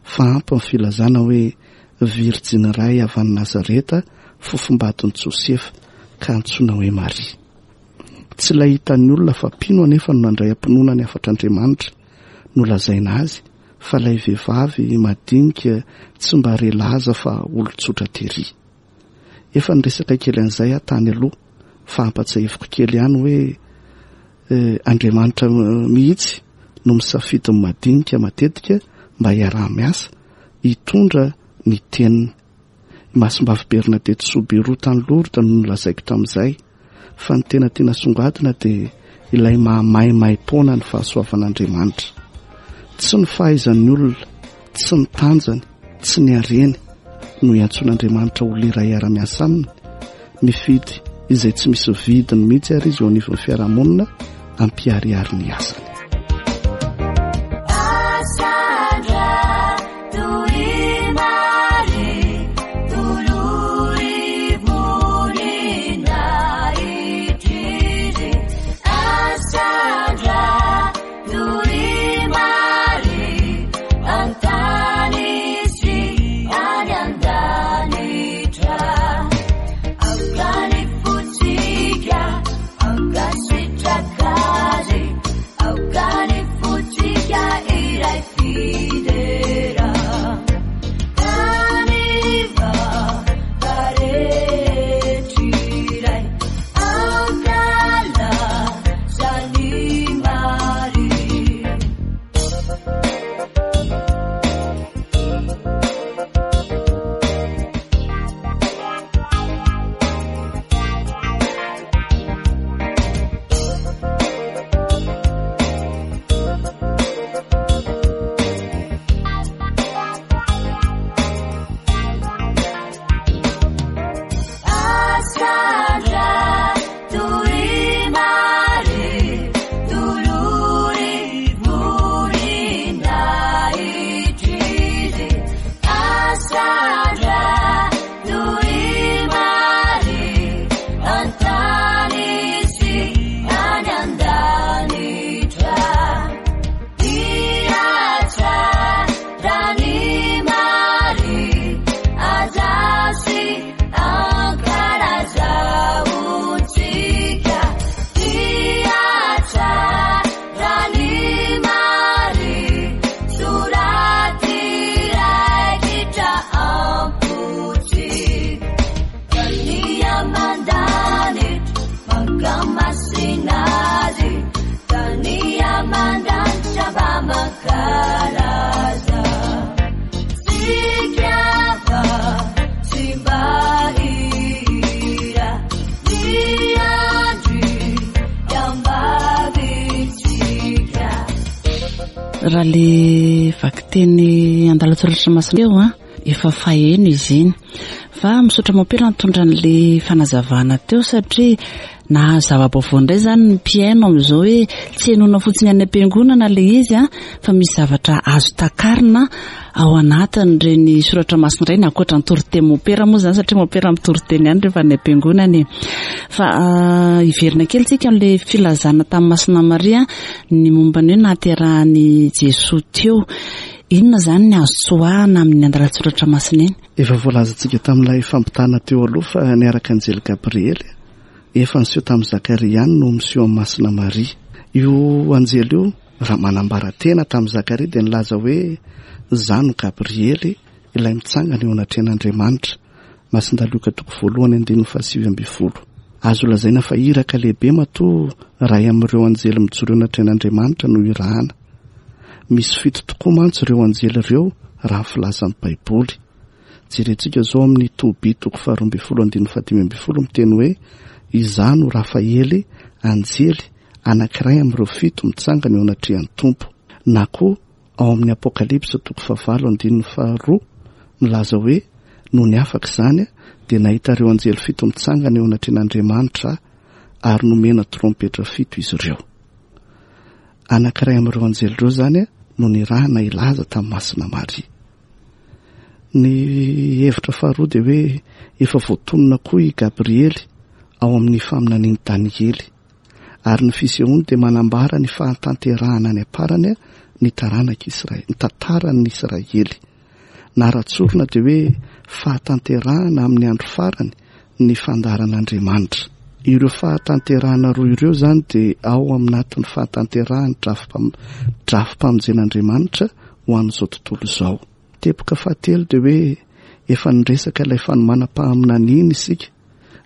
fa ampy ny filazana hoe virjiny iray avy any Nazareta fofombadin'i Josefa ka antsoina hoe Maria. Tsy ilay hitan'ny olona fa mpino anefa no nandray am-pinoana ny hafatr'Andriamanitra nolazaina azy fa ilay vehivavy madinika tsy mba re laza fa olon-tsotra tery. Efa niresaka kely an'izay aho tany aloha fa ampatsiahiviko kely ihany hoe Andriamanitra mihitsy no misafidy ny madinika matetika mba hiaraha-miasa hitondra ny teniny. I Masimbavy Bernadette Soubirous tany Lourdes no nolazaiko tamin'izay fa ny tena tiana songadina dia ilay mahamaimaim-poana ny fahasoavan'Andriamanitra. Tsy ny fahaizan'ny olona, tsy ny tanjany, tsy ny hareny no iantsoan'Andriamanitra olona iray hiara-miasa aminy. Mifidy izay tsy misy vidiny mihitsy ary izy eo anivon'ny fiarahamonina ampiharihary ny asany. Raha le vakiteny andalan-tsoratra masina eo a, efa faheno izy iny. Fa misaotra mompera nitondra an'ilay fanazavana teo satria nahazo zava-baovao indray izany ny mpihaino amin'izao hoe tsy henoina fotsiny any am-piangonana ilay izy a, fa misy zavatra azo takarina ao anatin'ireny soratra masina ireny, ankoatra ny toriteny mompera moa izany satria mompera mitoriteny ihany rehefa any am-piangonana e. Fa hiverina kely tsika amin'ilay filazana tamin'i Masina Maria ny momba ny hoe nahaterahan'i Jesoa teo. Inona izany ny azo tsoahana amin'ny andalan-tsoratra masina iny? Efa voalazantsika tamin'ilay fampitana teo aloha fa ny arkanjely Gabriely efa niseho tamin'i Zakaria ihany no miseho amin'i Masina Maria. Io anjely io raha manambara tena tamin'i Zakaria dia nilaza hoe izaho no Gabriely ilay mitsangana eo anatrehan'Andriamanitra. Masindahy Lioka toko voalohany andininy fahasivy ambin'ny folo. Azo lazaina fa iraka lehibe matoa iray amin'ireo anjely mijoro eo anatrehan'Andriamanitra no irahana. Misy fito tokoa mantsy ireo anjely ireo raha ny filazan'ny Baiboly. Jerentsika izao amin'ny Tobia toko faharoa ambin'ny folo andininy fahadimy ambin'ny folo miteny hoe izaho no Rafaely anjely anankiray amin'ireo fito mitsangana eo anatrehan'ny Tompo. Na koa ao amin'ny Apokalypsa toko fahavalo andininy faharoa milaza hoe nony afaka izany dia nahita ireo anjely fito mitsangana eo anatrehan'Andriamanitra ary nomena trompetra fito izy ireo. Anankiray amin'ireo anjely ireo izany no nirahana hilaza tamin'i Masina Maria. Ny hevitra faharoa dia hoe efa voatonona koa i Gabriely ao amin'ny faminanian'i Daniely. Ary ny fisehoany dia manambara ny fahatanterahana any am-parany ny taranak'Israely, ny tantaran'ny Israely. Na raha-tsorina dia hoe fahatanterahana amin'ny andro farany ny fandaharan'Andriamanitra. Ireo fahatanterahana roa ireo izany dia ao aminatin'ny fahatanterahan'ny drafi-pam-, drafi-pamonjen'Andriamanitra ho an'izao tontolo izao. Teboka fahatelo dia hoe efa niresaka ilay fanomanam-paminaniana isika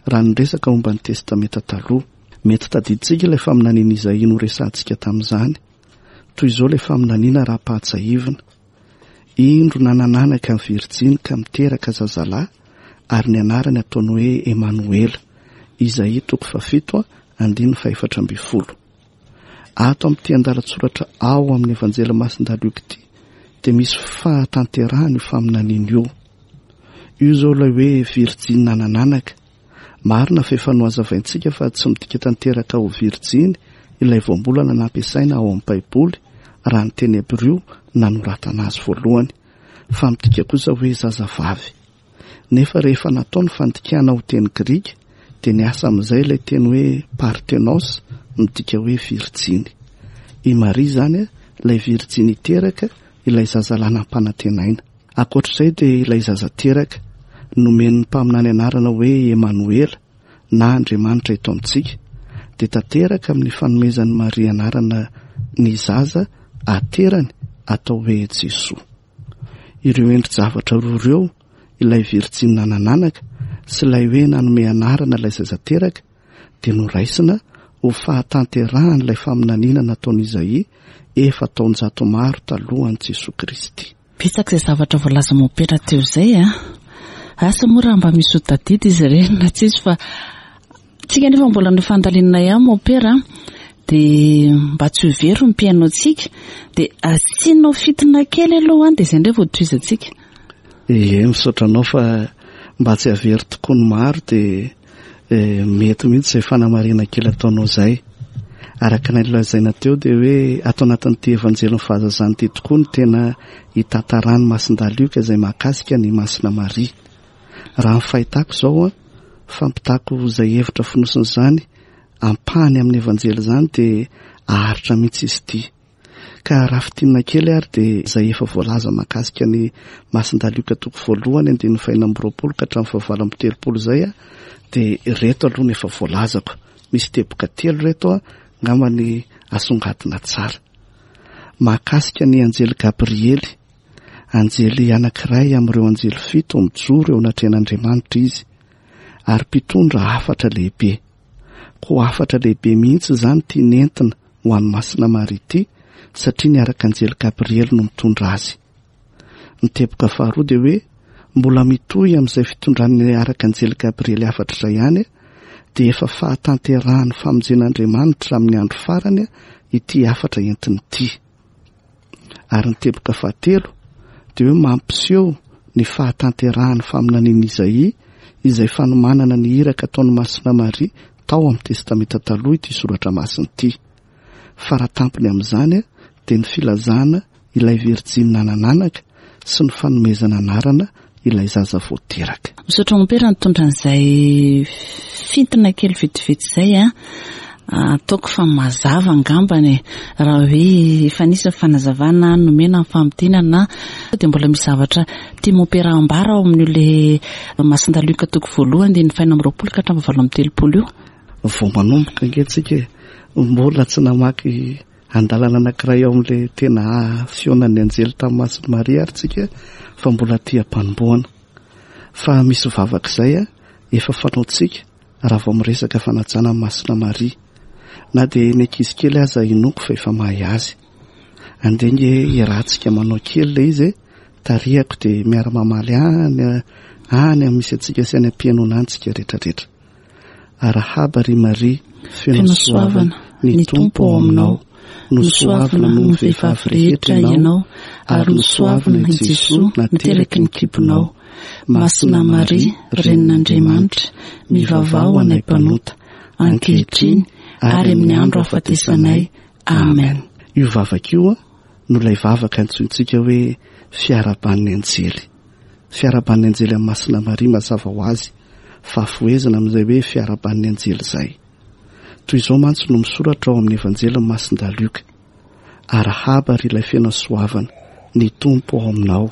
raha niresaka momba ny Testamenta taloha. Mety tadidintsika ilay faminaniana Izaia noresahantsika tamin'izany. Toy izao ilay faminaniana raha ampahatsiahivina. Indro nanananaka ny virjiny ka miteraka zazalahy ary ny anarany ataony hoe Emanoela. Izaia toko fahafito andininy fahefatra ambin'ny folo. Ato amin'ity andalan-tsoratra ao amin'ny Evanjely Masindahy Lioka ity dia misy fahatanterahana io faminaniana io. Io izao ilay hoe virjiny nanananaka. Marina fa efa nohazavaintsika fa tsy midika tanteraka ho virjiny ilay voambolana nampiasaina ao amin'ny Baiboly raha ny teny hebreo nanoratana azy voalohany, fa midika kosa hoe zazavavy. Nefa rehefa natao ny fandikana ho teny grika dia niasa amin'izay ilay teny hoe parthenos midika hoe virjiny. I Maria izany ilay virjiny teraka ilay zazalahy nampanantenaina. Ankoatr'izay dia ilay zaza teraka nomen'ny mpaminany anarana hoe Emanoela na Andriamanitra eto amintsika dia tanteraka amin'ny fanomezan'i Maria anarana ny zaza aterany atao hoe Jesoa. Ireo endri-javatra roa ireo, ilay virjiny nanananaka sy ilay hoe nanome anarana ilay zaza teraka, dia noraisina ho fahatanterahan'ilay faminaniana nataon'Izaia efa taonjato maro talohan'i Jesoa Kristy. Betsaka izay zavatra voalaza mompera teo izay a. Asa moa raha mba misy ho tadidy izy ireny na tsy izy, fa tsika nefa mbola nofandalinana ihany mompera dia mba tsy ho very ny mpihaino antsika dia asianao fitina kely aloha any dia izay indray vao tohizantsika. Ie, misaotra anao fa mba tsy havery tokoa ny maro dia, eh, mety mihitsy izay fanamarihana kely ataonao izay. Araka ny lazaina teo dia hoe ato anatin'ity Evanjelin'ny fahazazana ity tokoa no tena hitantaran'ny Masindahy Lioka izay mahakasika ny Masina Maria. Raha ny fahitako izao, fampitako izay hevitra fonosin'izany ampahany amin'ny Evanjely izany dia aharitra mihitsy izy ity. Ka raha fintinina kely ary dia izay efa voalaza mahakasika ny Masindahy Lioka toko voalohany andininy fahenina amby roapolo ka hatramin'ny fahavalo amby telopolo izay dia ireto aloha no efa voalazako. Misy teboka telo ireto angamba ny asongadina tsara. Mahakasika ny anjely Gabriely, anjely anankiray amin'ireo anjely fito mijoro eo anatrehan'Andriamanitra izy ary mpitondra hafatra lehibe. Koa hafatra lehibe mihitsy izany ity nentina ho an'i Masina Maria ity satria ny arkanjely Gabriely no mitondra azy. Ny teboka faharoa dia hoe mbola mitohy amin'izay fitondran'ny arkanjely Gabriely hafatra izay ihany dia efa fahatanterahan'ny famonjen'Andriamanitra amin'ny andro farany ity hafatra entiny ity. Ary ny teboka fahatelo dia hoe mampiseho ny fahatanterahan'ny faminanian'i Izaia izay fanomanana ny iraka ataon'i Masina Maria tao amin'ny Testamenta Taloha ity soratra masina ity. Faratampony amin'izany dia ny filazana ilay virjiny nanananaka sy ny fanomezana anarana ilay zaza vao teraka. Misaotra mompera nitondra an'izay fintina kely vetivety izay a. Ataoko fa mazava angambany raha hoe efa nisy ny fanazavana nomena ny famintinana dia mbola misy zavatra tia mompera ambara ao amin'io le Masindahy Lioka toko voalohany dia ny fahenina amby roapolo ka hatramin'ny valo amby telopolo io. Vao manomboka ange tsika mbola tsy namaky andalana anankiray ao amin'ilay tena fihaonan'ny anjely tamin'ny Masina Maria ary tsika fa mbola tia am-panombohana. Fa misy vavaka izay a efa fanaontsika raha vao miresaka fanajana ny Masina Maria. Na dia ny ankizy kely aza inoako fa efa mahay azy. Andeha nge iarahantsika manao kely ilay izy e, tarihako dia miara-mamaly any any misy antsika sy any am-pihainoana antsika rehetrarehetra. Arahaba ry Maria, feno soavana, ny Tompo ao aminao. Nosoavina noho ny vehivavy rehetra ianao, ary nosoavina i Jesoa nateraky ny kibonao. Masina Maria, Renin'Andriamanitra, mivavaha ho anay mpanota, ankehitriny ary amin'ny andro ahafatesanay. Amen. Io vavaka io no ilay vavaka antsointsika hoe fiarahaban'ny anjely. Fiarahaban'ny anjely amin'ny Masina Maria mazava ho azy, fahafohezana amin'izay hoe fiarahaban'ny anjely izay. Toy izao mantsy no misoratra ao amin'ny Evanjelin'i Masindahy Lioka. Arahaba ry ilay feno hasoavana, ny Tompo ao aminao,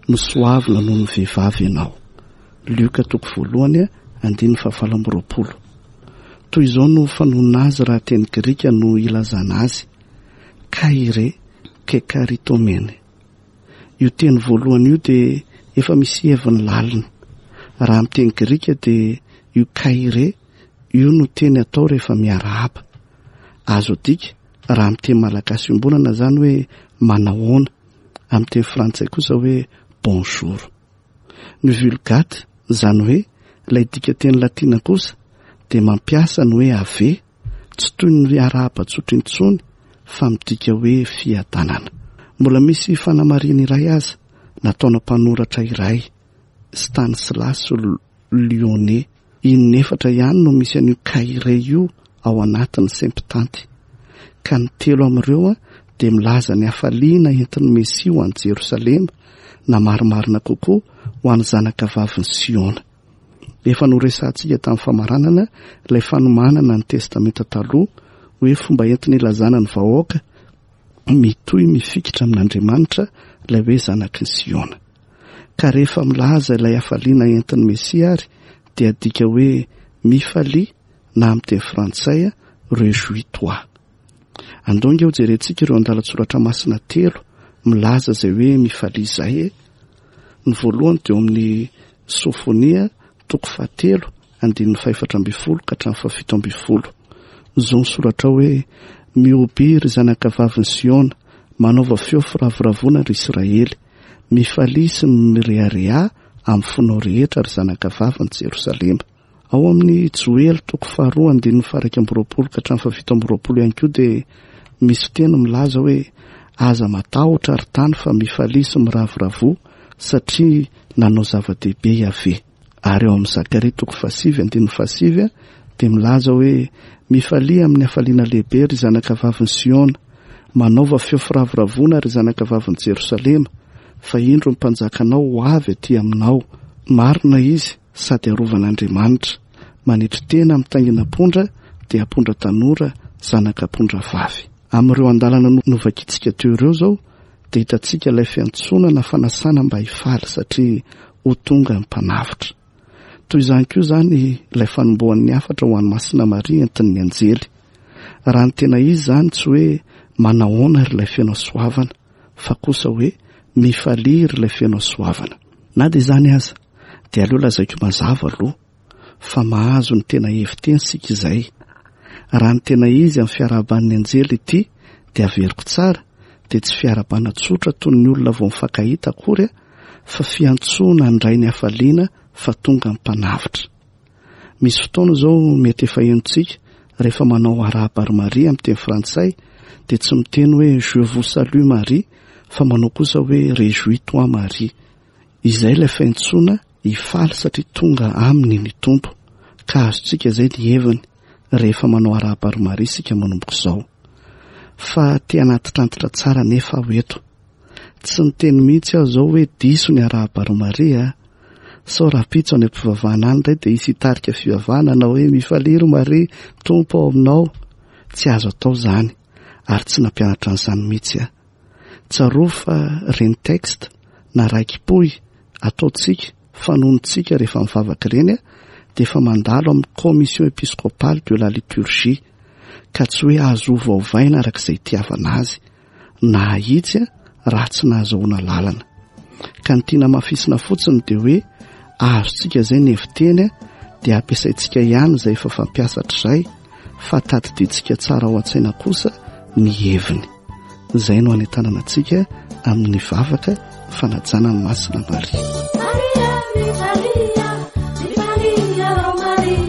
nosoavina noho ny vehivavy ianao. Lioka toko voalohany andininy fahavalo amby roapolo. Toy izao no fanonona azy raha teny grika no ilazana azy: kaire kekaritomene. Io teny voalohany io dia efa misy heviny lalina. Raha amin'ny teny grika dia io kaire io no teny atao rehefa miarahaba. Azo adika raha amin'ny teny malagasy iombonana izany hoe manahoana, amin'ny teny frantsay kosa hoe bonjour. Ny vulgate, izany hoe ilay dika teny latina kosa, dia mampiasa ny hoe ave, tsy toy ny arahaba tsotra intsony fa midika hoe fiadanana. Mbola misy fanamarihana iray aza nataona mpanoratra iray, Stanislas Lyonnais. Inefatra ihany no misy an'io kaire io ao anatin'ny Septante. Ka ny telo amin'ireo dia milaza ny hafaliana entin'ny Mesia ho an'i Jerosalema, na marimarina kokoa ho an'ny zanaka vavin'i Siona. Efa noresahantsika tamin'ny famaranana ilay fanomanana ny Testamenta Taloha hoe fomba entina ilazana ny vahoaka mitohy mifikitra amin'Andriamanitra ilay hoe zanaky ny Siona. Ka rehefa milaza ilay hafaliana entin'ny Mesia ary dia adika hoe mifalia na amin'ny teny frantsay réjouis-toi. Andao ange ho jerentsika ireo andalan-tsoratra masina telo milaza izay hoe mifalia izay e. Ny voalohany dia eo amin'ny Sofonia toko fahatelo andininy fahefatra ambin'ny folo ka hatramin'ny fahafito ambin'ny folo. Izao ny soratra hoe mihoby ry zanaka vavin'i Siona, manaova feo firavoravoana ry Israely, mifalia sy mirehareha amin'ny fonao rehetra ry zanaka vavin'i Jerosalema. Ao amin'ny Joely toko faharoa andininy faha-iraika amby roapolo ka hatramin'ny fahafito amby roapolo ihany koa dia misy teny milaza hoe aza matahotra ry tany fa mifalia sy miravoravoa satria nanao zava-dehibe Yaveh. Ary ao amin'ny Zakaria toko fahasivy andininy fahasivy dia milaza hoe mifalia amin'ny hafaliana lehibe ry zanaka vavin'i Siona, manaova feo firavoravoana ry zanaka vavin'i Jerosalema, fa indro ny mpanjakanao ho avy aty aminao. Marina izy sady arovan'Andriamanitra, manetry tena mitaingina ampondra dia ampondra tanora zanaka ampondra vavy. Amin'ireo andalana novakintsika teo ireo izao dia hitantsika ilay fiantsoana na fanasana mba hifaly satria ho tonga ny mpanavotra. Toy izany koa izany ilay fanombohan'ny hafatra ho an'i Masina Maria entin'ny anjely. Raha ny tena izy izany tsy hoe manahoana ry ilay feno hasoavana, fa kosa hoe mifalia ry ilay feno hasoavana. Na dia izany aza dia aleo lazaiko mazava aloha fa mahazo ny tena heviteny isika izay. Raha ny tena izy amin'ny fiarahaban'ny anjely ity dia averiko tsara, dia tsy fiarahabana tsotra toy ny olona vao mifankahita akory fa fiantsoana handray ny hafaliana fa tonga ny mpanavotra. Misy fotoana izao mety efa henontsika rehefa manao arahaba ry Maria amin'ny teny frantsay dia tsy miteny hoe je vous salue Marie fa manao kosa hoe réjouis-toi Marie. Izay ilay fiantsoana hifaly satria tonga aminy ny Tompo, ka azontsika izay ny heviny rehefa manao arahaba ry Maria isika manomboka izao. Fa te hanatitrantitra tsara nefa aho eto. Tsy niteny mihitsy aho izao hoe diso ny arahaba ry Maria, sao rahampitso any am-pivavahana any indray dia hisy hitarika fivavahana na hoe mifalia ry Maria, Tompo ao aminao. Tsy azo atao izany ary tsy nampianatra an'izany mihitsy aho. Tsarovy fa ireny texte na raikipohy ataontsika, fanonontsika rehefa mivavaka ireny dia efa mandalo amin'ny commission épiscopale de la liturgie, ka tsy hoe azo ovaovaina araka izay itiavana azy na ahitsy raha tsy nahazoana lalana. Ka ny tiana hamafisina fotsiny dia hoe azontsika izay ny heviteny dia ampiasaintsika ihany izay efa fampiasa hatrizay, fa tadidintsika tsara ao an-tsaina kosa ny heviny. Izay no anentanana antsika amin'ny vavaka fanajana ny Masina Maria. Maria, mifalia, mifalia, oh Maria.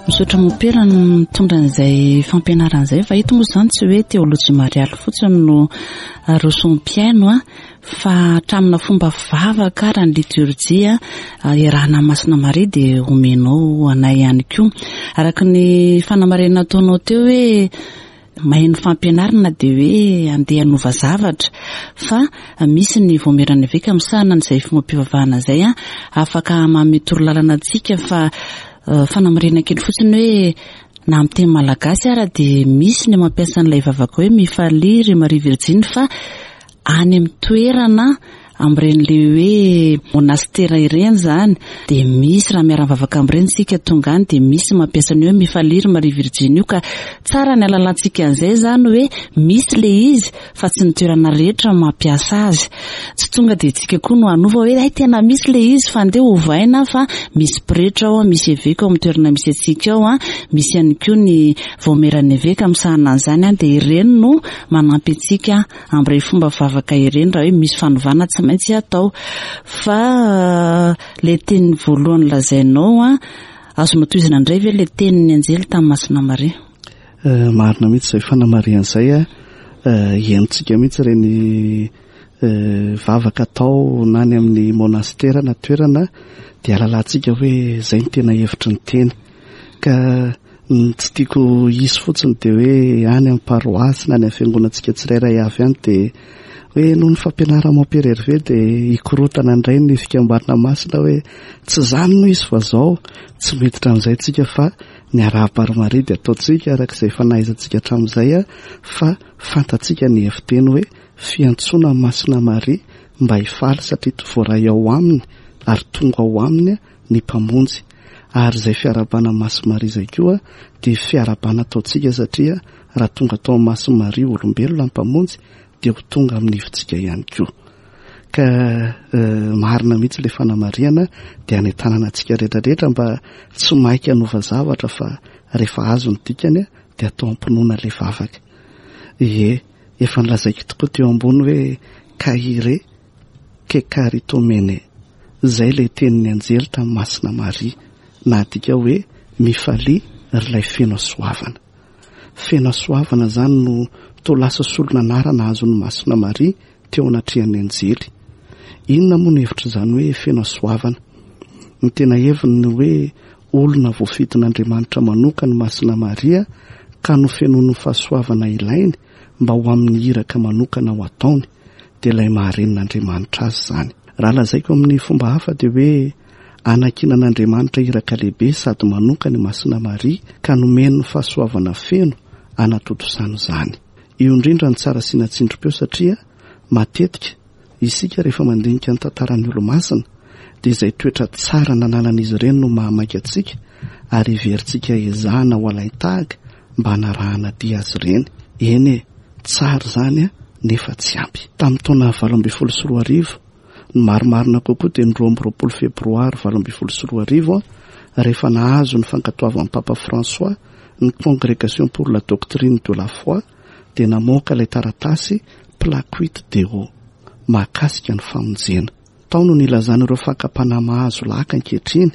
Misaotra mompera no mitondra an'izay fampianarana izay, fa eto moa izany tsy hoe teolojia marialy fotsiny no aroson'ny mpihaino a, fa hatramina fomba vavaka ary ny liturjia iarahana amin'ny Masina Maria dia omenao anay ihany koa. Araka ny fanamarihana nataonao teo hoe maheno fampianarana dia hoe andeha hanova zavatra, fa misy ny vaomieran'ny eveka misahana an'izay fombam-pivavahana izay a, afaka manome torolalana antsika. Fa fanamarihana kely fotsiny hoe na amin'ny teny malagasy ara dia misy ny mampiasa an'ilay vavaka hoe mifalia ry Maria Virjiny, fa any amin'ny toerana amin'ireny le hoe monastera ireny zany dia misy raha miara-mivavaka amin'ireny isika tonga any dia misy mampiasa ny hoe mifalia ry Maria Virjiny io, ka tsara ny alalantsika an'izay zany hoe misy le izy fa tsy ny toerana rehetra mampiasa azy. Tsy tonga dia tsika koa no hanova hoe ay tena misy le izy fa andeha hovaina, fa misy pretra ao, misy eveka ao amin'ny toerana misy antsika ao, misy ihany koa ny vaomieran'ny eveka misahana an'izany, dia ireny no manampy antsika amin'ireny fomba vavaka ireny raha hoe misy fanovana tsy maintsy atao. Fa le teny voalohany lazainao a, azonao tohizana indray ve le tenin'ny anjely tamin'ny Masina Maria? Eh, marina mihitsy izay fanamarihana izay a. Eh, henontsika mihitsy ireny, eh, vavaka atao na any amin'ny monastera na toerana dia alalantsika hoe izay no tena hevitry ny teny. Ka ny tsy tiako hisy fotsiny dia hoe any amin'ny paroasy na any amin'ny fiangonantsika tsirairay avy any dia hoe noho ny fampianarana Mompera Hervé dia hikorotana indray ny fikambanana masina hoe tsy izany no izy fa zao. Tsy miditra amin'izay tsika fa ny arahaba ry Maria dia ataontsika araka izay efa nahaizantsika hatramin'izay a, fa fantatsika ny heviteny hoe fiantsoana Masina Maria mba hifaly satria voaray ao aminy ary tonga ao aminy ny Mpamonjy. Ary izay fiarahabana Masina Maria izay koa dia fiarahabana ataontsika satria raha tonga tao amin'ny Masina Maria olombelona ny Mpamonjy dia ho tonga amin'ny hevitsika ihany koa. Ka, eh, marina mihitsy ilay fanamarihana dia anentanana antsika rehetrarehetra mba tsy maika hanova zavatra fa rehefa azo ny dikany dia atao am-pinoana ilay vavaka. Ie, efa nolazaiko tokoa teo ambony hoe kaire kekaritomene, izay ilay tenin'ny anjely tamin'ny Masina Maria, na adika hoe mifalia ry ilay feno hasoavana. Feno hasoavana izany no toa lasa solon'anarana azon'ny Masina Maria teo anatrehan'ny anjely. Inona moa no hevitr'izany hoe feno hasoavana? Ny tena heviny ny hoe olona voafidin'Andriamanitra manokana ny Masina Maria ka nofenoiny fahasoavana ilainy mba ho amin'ny iraka manokana ho ataony, dia ilay maharenin'Andriamanitra azy izany. Raha lazaiko amin'ny fomba hafa dia hoe anankinan'Andriamanitra iraka lehibe sady manokana i Masina Maria ka nomeny ny fahasoavana feno anatontosana izany. Io indrindra no tsara asiana tsindrim-peo satria matetika isika rehefa mandinika ny tantaran'ny olo-masina dia izay toetra tsara nananan'izy ireny no mahamaika antsika ary heverintsika ezahana ho alain-tahaka mba hanarahana dia azy ireny. Eny e, Tsara izany nefa tsy ampy. Tamin'ny taona valo ambin'ny folo sy roa arivo, ny marimarina kokoa dia ny roa amby roapolo febroary valo ambin'ny folo sy roa arivo, rehefa nahazo ny fankatoavan'ny Papa François ny Congrégation pour la doctrine de la foi, dia namoaka ilay taratasy Placuit Deo mahakasika ny famonjena. Tao no nilazana ireo fakam-panahy mahazo laka ankehitriny,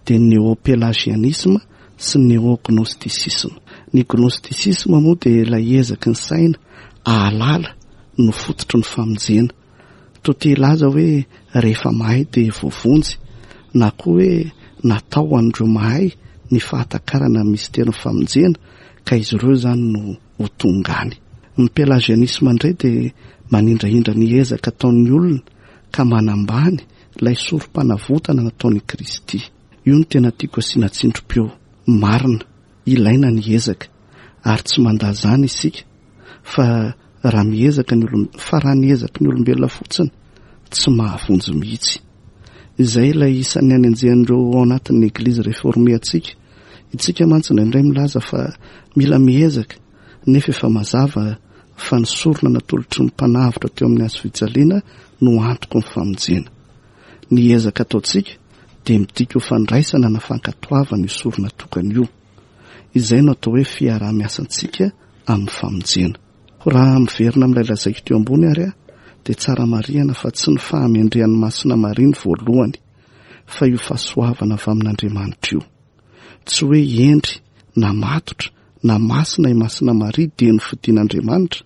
dia ny néo-pélagianisme sy ny néo-gnosticisme. Ny gnosticisme moa dia ilay ezaky ny saina ahalala no fototry ny famonjena. Toa te hilaza hoe rehefa mahay dia voavonjy, na koa hoe natao ho an'ireo mahay ny fahatakarana ny misterin'ny famonjena ka izy ireo izany no ho tonga any. Ny pélagianisme indray dia manindrahindra ny ezaka ataon'ny olona ka manambany ilay sorom-panavotana nataon'i Kristy. Io no tena tiako asiana tsindrim-peo. Marina, ilaina ny ezaka ary tsy mandà izany isika, fa raha miezaka ny olom-, fa raha ny ezaky ny olombelona fotsiny tsy mahavonjy mihitsy. Izay ilay isan'ny anenjehan'ireo ao anatin'ny Eglizy réformée antsika. Itsika mantsy indraindray milaza fa mila miezaka, nefa efa mazava fa ny sorona natolotry ny mpanavotra teo amin'ny hazo fijaliana no antoko ny famonjena. Ny ezaka ataontsika dia midika ho fandraisana na fankatoavana io sorona tokana io. Izay no atao hoe fiaraha-miasantsika amin'ny famonjena. Raha miverina amin'ilay lazaiko teo ambony ary aho, dia tsara marihana fa tsy ny fahamendrehan'ny Masina Maria ny voalohany, fa io fahasoavana avy amin'Andriamanitra io. Tsy hoe hendry na matotra na masina i Masina Maria dia nofidin'Andriamanitra,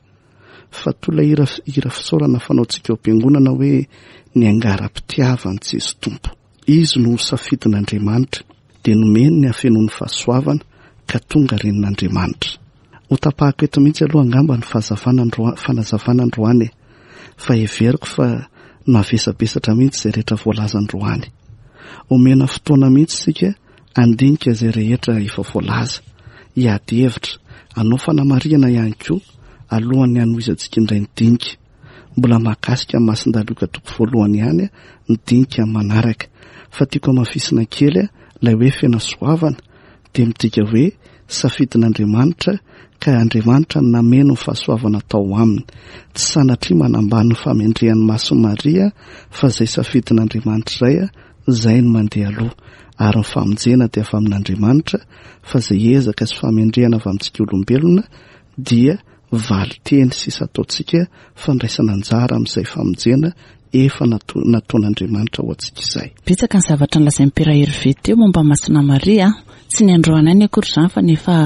fa toy ilay hira, hira fisaorana fanaontsika ao am-piangonana hoe ny angara-pitiavan'i Jesoa Tompo. Izy no safidin'Andriamanitra, dia nomeny ny hafenoan'ny fahasoavana ka tonga renin'Andriamanitra. Ho tapahako eto mihitsy aloha angamba ny fahazavana androa-, fanazavana androany e, fa heveriko fa navesabesatra mihitsy izay rehetra voalaza androany. Omena fotoana mihitsy isika handinika izay rehetra efa voalaza, hiady hevitra, hanao fanamarihana ihany koa alohan'ny hanohizantsika indray ny dinika. Mbola mahakasika ny Masindahy Lioka toko voalohany ihany ny dinika manaraka, fa tiako hamafisina kely ilay hoe fenasoavana dia midika hoe safidin'Andriamanitra ka Andriamanitra no nameno ny fahasoavana tao aminy. Tsy sanatria manambany ny fahamendrehan'ny Masin'i Maria, fa izay safidin'Andriamanitra izay, izay no mandeha aloha. Ary ny famonjena dia avy amin'Andriamanitra, fa izay ezaka sy fahamendrehana avy amintsika olombelona dia valin-teny sisa ataontsika fandraisana anjara amin'izay famonjena efa nato-, nataon'Andriamanitra ho antsika izay. Betsaka ny zavatra nolazain'i Père Hervé teo momba Masina Maria. Tsy ny androany ihany akory izany fa nefa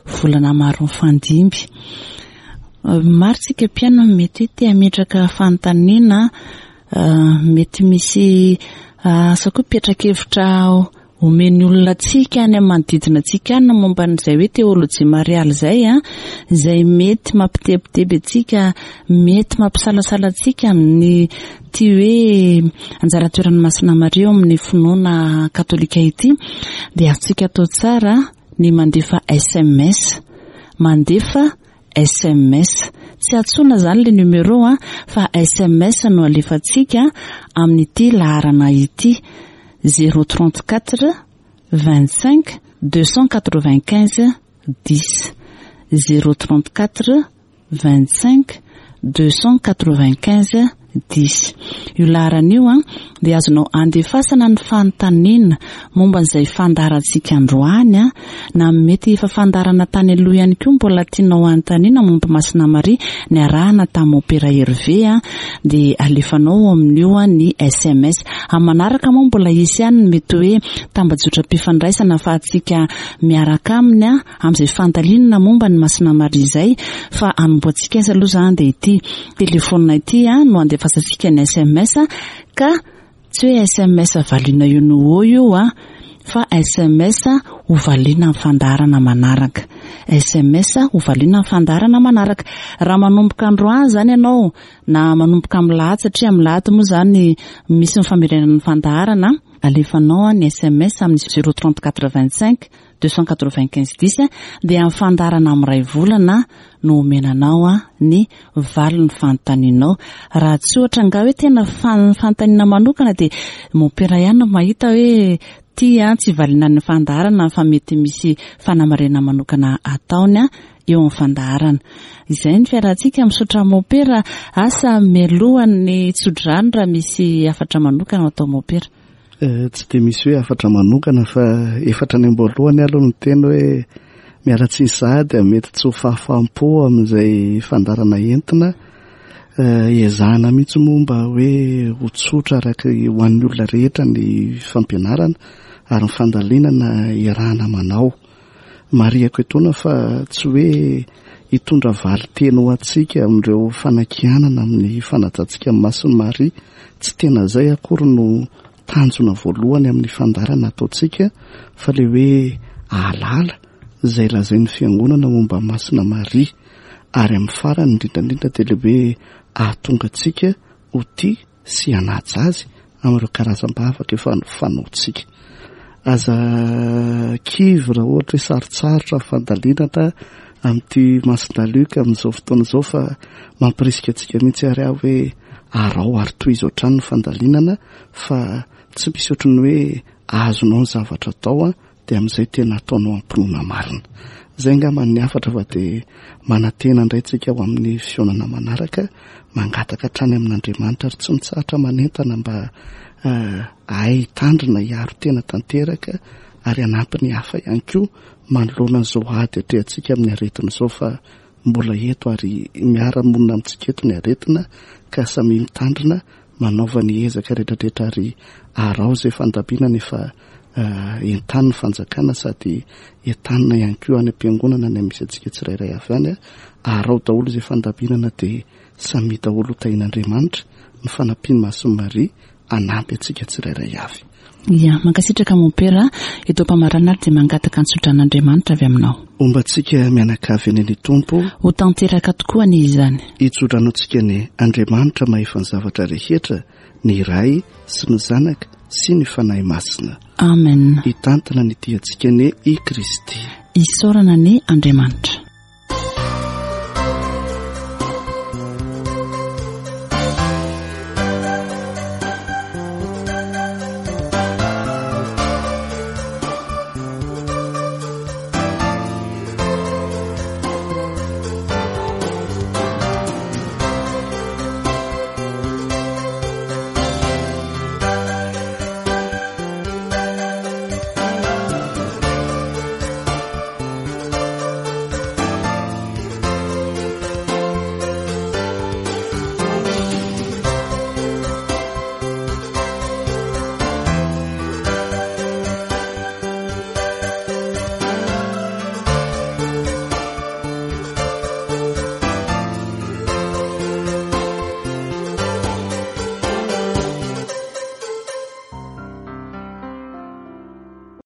volana maro mifandimby. Maro tsika mpihaino mety hoe te hametraka fanontaniana, mety misy asa koa mpiatrakevitra omen'ny olona antsika any amin'ny manodidina antsika any momba an'izay hoe teolojia marialy izay, a, izay mety mampitebiteby antsika, mety mampisalasala antsika amin'ny ty hoe anjara toeran'ny Masina Maria eo amin'ny finoana katolika ity, dia azontsika atao tsara ny mandefa S M S. Mandefa S M S. Tsy antsoina izany le numéro, a, fa S M S no alefantsika amin'ity laharana ity: zéro trente-quatre vingt-cinq deux cent quatre-vingt-quinze dix. Zéro trente-quatre vingt-cinq deux cent quatre-vingt-quinze dix. Io laharana io, a, dia azonao andefasana ny fanontaniana momba an'izay fandaharantsika androany, a, na mety efa fandaharana tany aloha ihany koa mbola tianao hanontaniana momba Masina Maria niarahana tamin'ny Mompera Hervé, a, dia alefanao amin'io, a, ny S M S. Amin'ny manaraka moa mbola hisy ihany ny mety hoe tambajotram-pifandraisana ahafahantsika miaraka aminy, a, amin'izay fandalinana momba ny Masina Maria izay, fa hanombohantsika azy aloha izany dia ity telefona ity, a, no andefasantsika ny S M S, ka tsy hoe S M S valiana io no eo io, a, fa S M S ho valiana amin'ny fandaharana manaraka. S M S ho valiana amin'ny fandaharana manaraka. Raha manomboka androany izany ianao, na manomboka amin'ny lahady, satria amin'ny lahady moa izany misy ny famerenana ny fandaharana, alefanao ny S M S amin'ny zéro trente-quatre vingt-cinq deux cent quatre-vingt-quinze dix, dia amin'ny fandaharana amin'ny iray volana no omenanao ny valin'ny fanontanianao. Raha tsy ohatra angaha hoe tena fan-, fanontaniana manokana dia mompera ihany no mahita hoe ty, a, tsy valiana ny fandaharana fa mety misy fanamarihana manokana ataony, a, eo amin'ny fandaharana. Izay ny fiarahantsika. Misaotra mopera. Asa mialohan'ny tsodrano raha misy hafatra manokana atao mopera. Tsy dia misy hoe hafatra manokana fa efatra any am-boalohany aloha ny teny hoe miala tsiny sahady mety tsy ho fahafaham-po amin'izay fandaharana entina. Ezahana mihitsy moa mba hoe ho tsotra araka ho an'ny olona rehetra ny fampianarana ary ny fandalinana iarahana manao. Marihako etoana fa tsy hoe hitondra valin-teny ho antsika amin'ireo fanakianana amin'ny fanajantsika amin'ny Masin'i Maria. Tsy tena izay akory no tanjona voalohany amin'ny fandaharana ataontsika fa le hoe ahalala izay lazain'ny fiangonana momba Masina Maria, ary amin'ny farany indrindra indrindra dia le hoe ahatonga antsika ho tia sy hanaja azy amin'ireo karazam-bavaka efa fanaontsika. Aza kivy raha ohatra hoe sarotsarotra ny fandalinana amin'ity Masina Lioka amin'izao fotoana izao fa mampirisika antsika mihitsy ary aho hoe arao ary tohizo hatrany ny fandalinana fa tsy misy ohatran'ny hoe azonao ny zavatra atao dia amin'izay tena ataonao am-pinoana marina. Izay angamba ny hafatra fa dia manantena indray tsika ho amin'ny fihaonana manaraka, mangataka hatrany amin'Andriamanitra ary tsy mitsahatra manentana mba hahay hitandrina hiaro tena tanteraka ary hanampy ny hafa ihany koa manoloana an'izao ady atrehantsika amin'ny aretina izao fa mbola eto ary miara-monina amintsika eto ny aretina ka samy mitandrina manaova ny ezaka rehetrarehetra ary arao izay fandaminana efa entaniny fanjakana sady entanina ihany koa any am-piangonana ny misy antsika tsirairay avy any. Arao daholo izay fandaminana dia samy daholo ho tahian'Andriamanitra ny fanampian'i Masin'i Maria hanampy antsika tsirairay avy. Ia, mankasitraka mompera. Eto am-pamaranana ary dia mangataka ny tsodran'Andriamanitra avy aminao. Homba antsika mianakavy eny ny Tompo. Ho tanteraka tokoa anie izany. Hitsodrano antsika ny Andriamanitra mahefa ny zavatra rehetra, ny Ray sy ny Zanaka sy ny Fanahy Masina. Amen. Hitantana ny diantsika anie i Kristy. Isaorana anie Andriamanitra.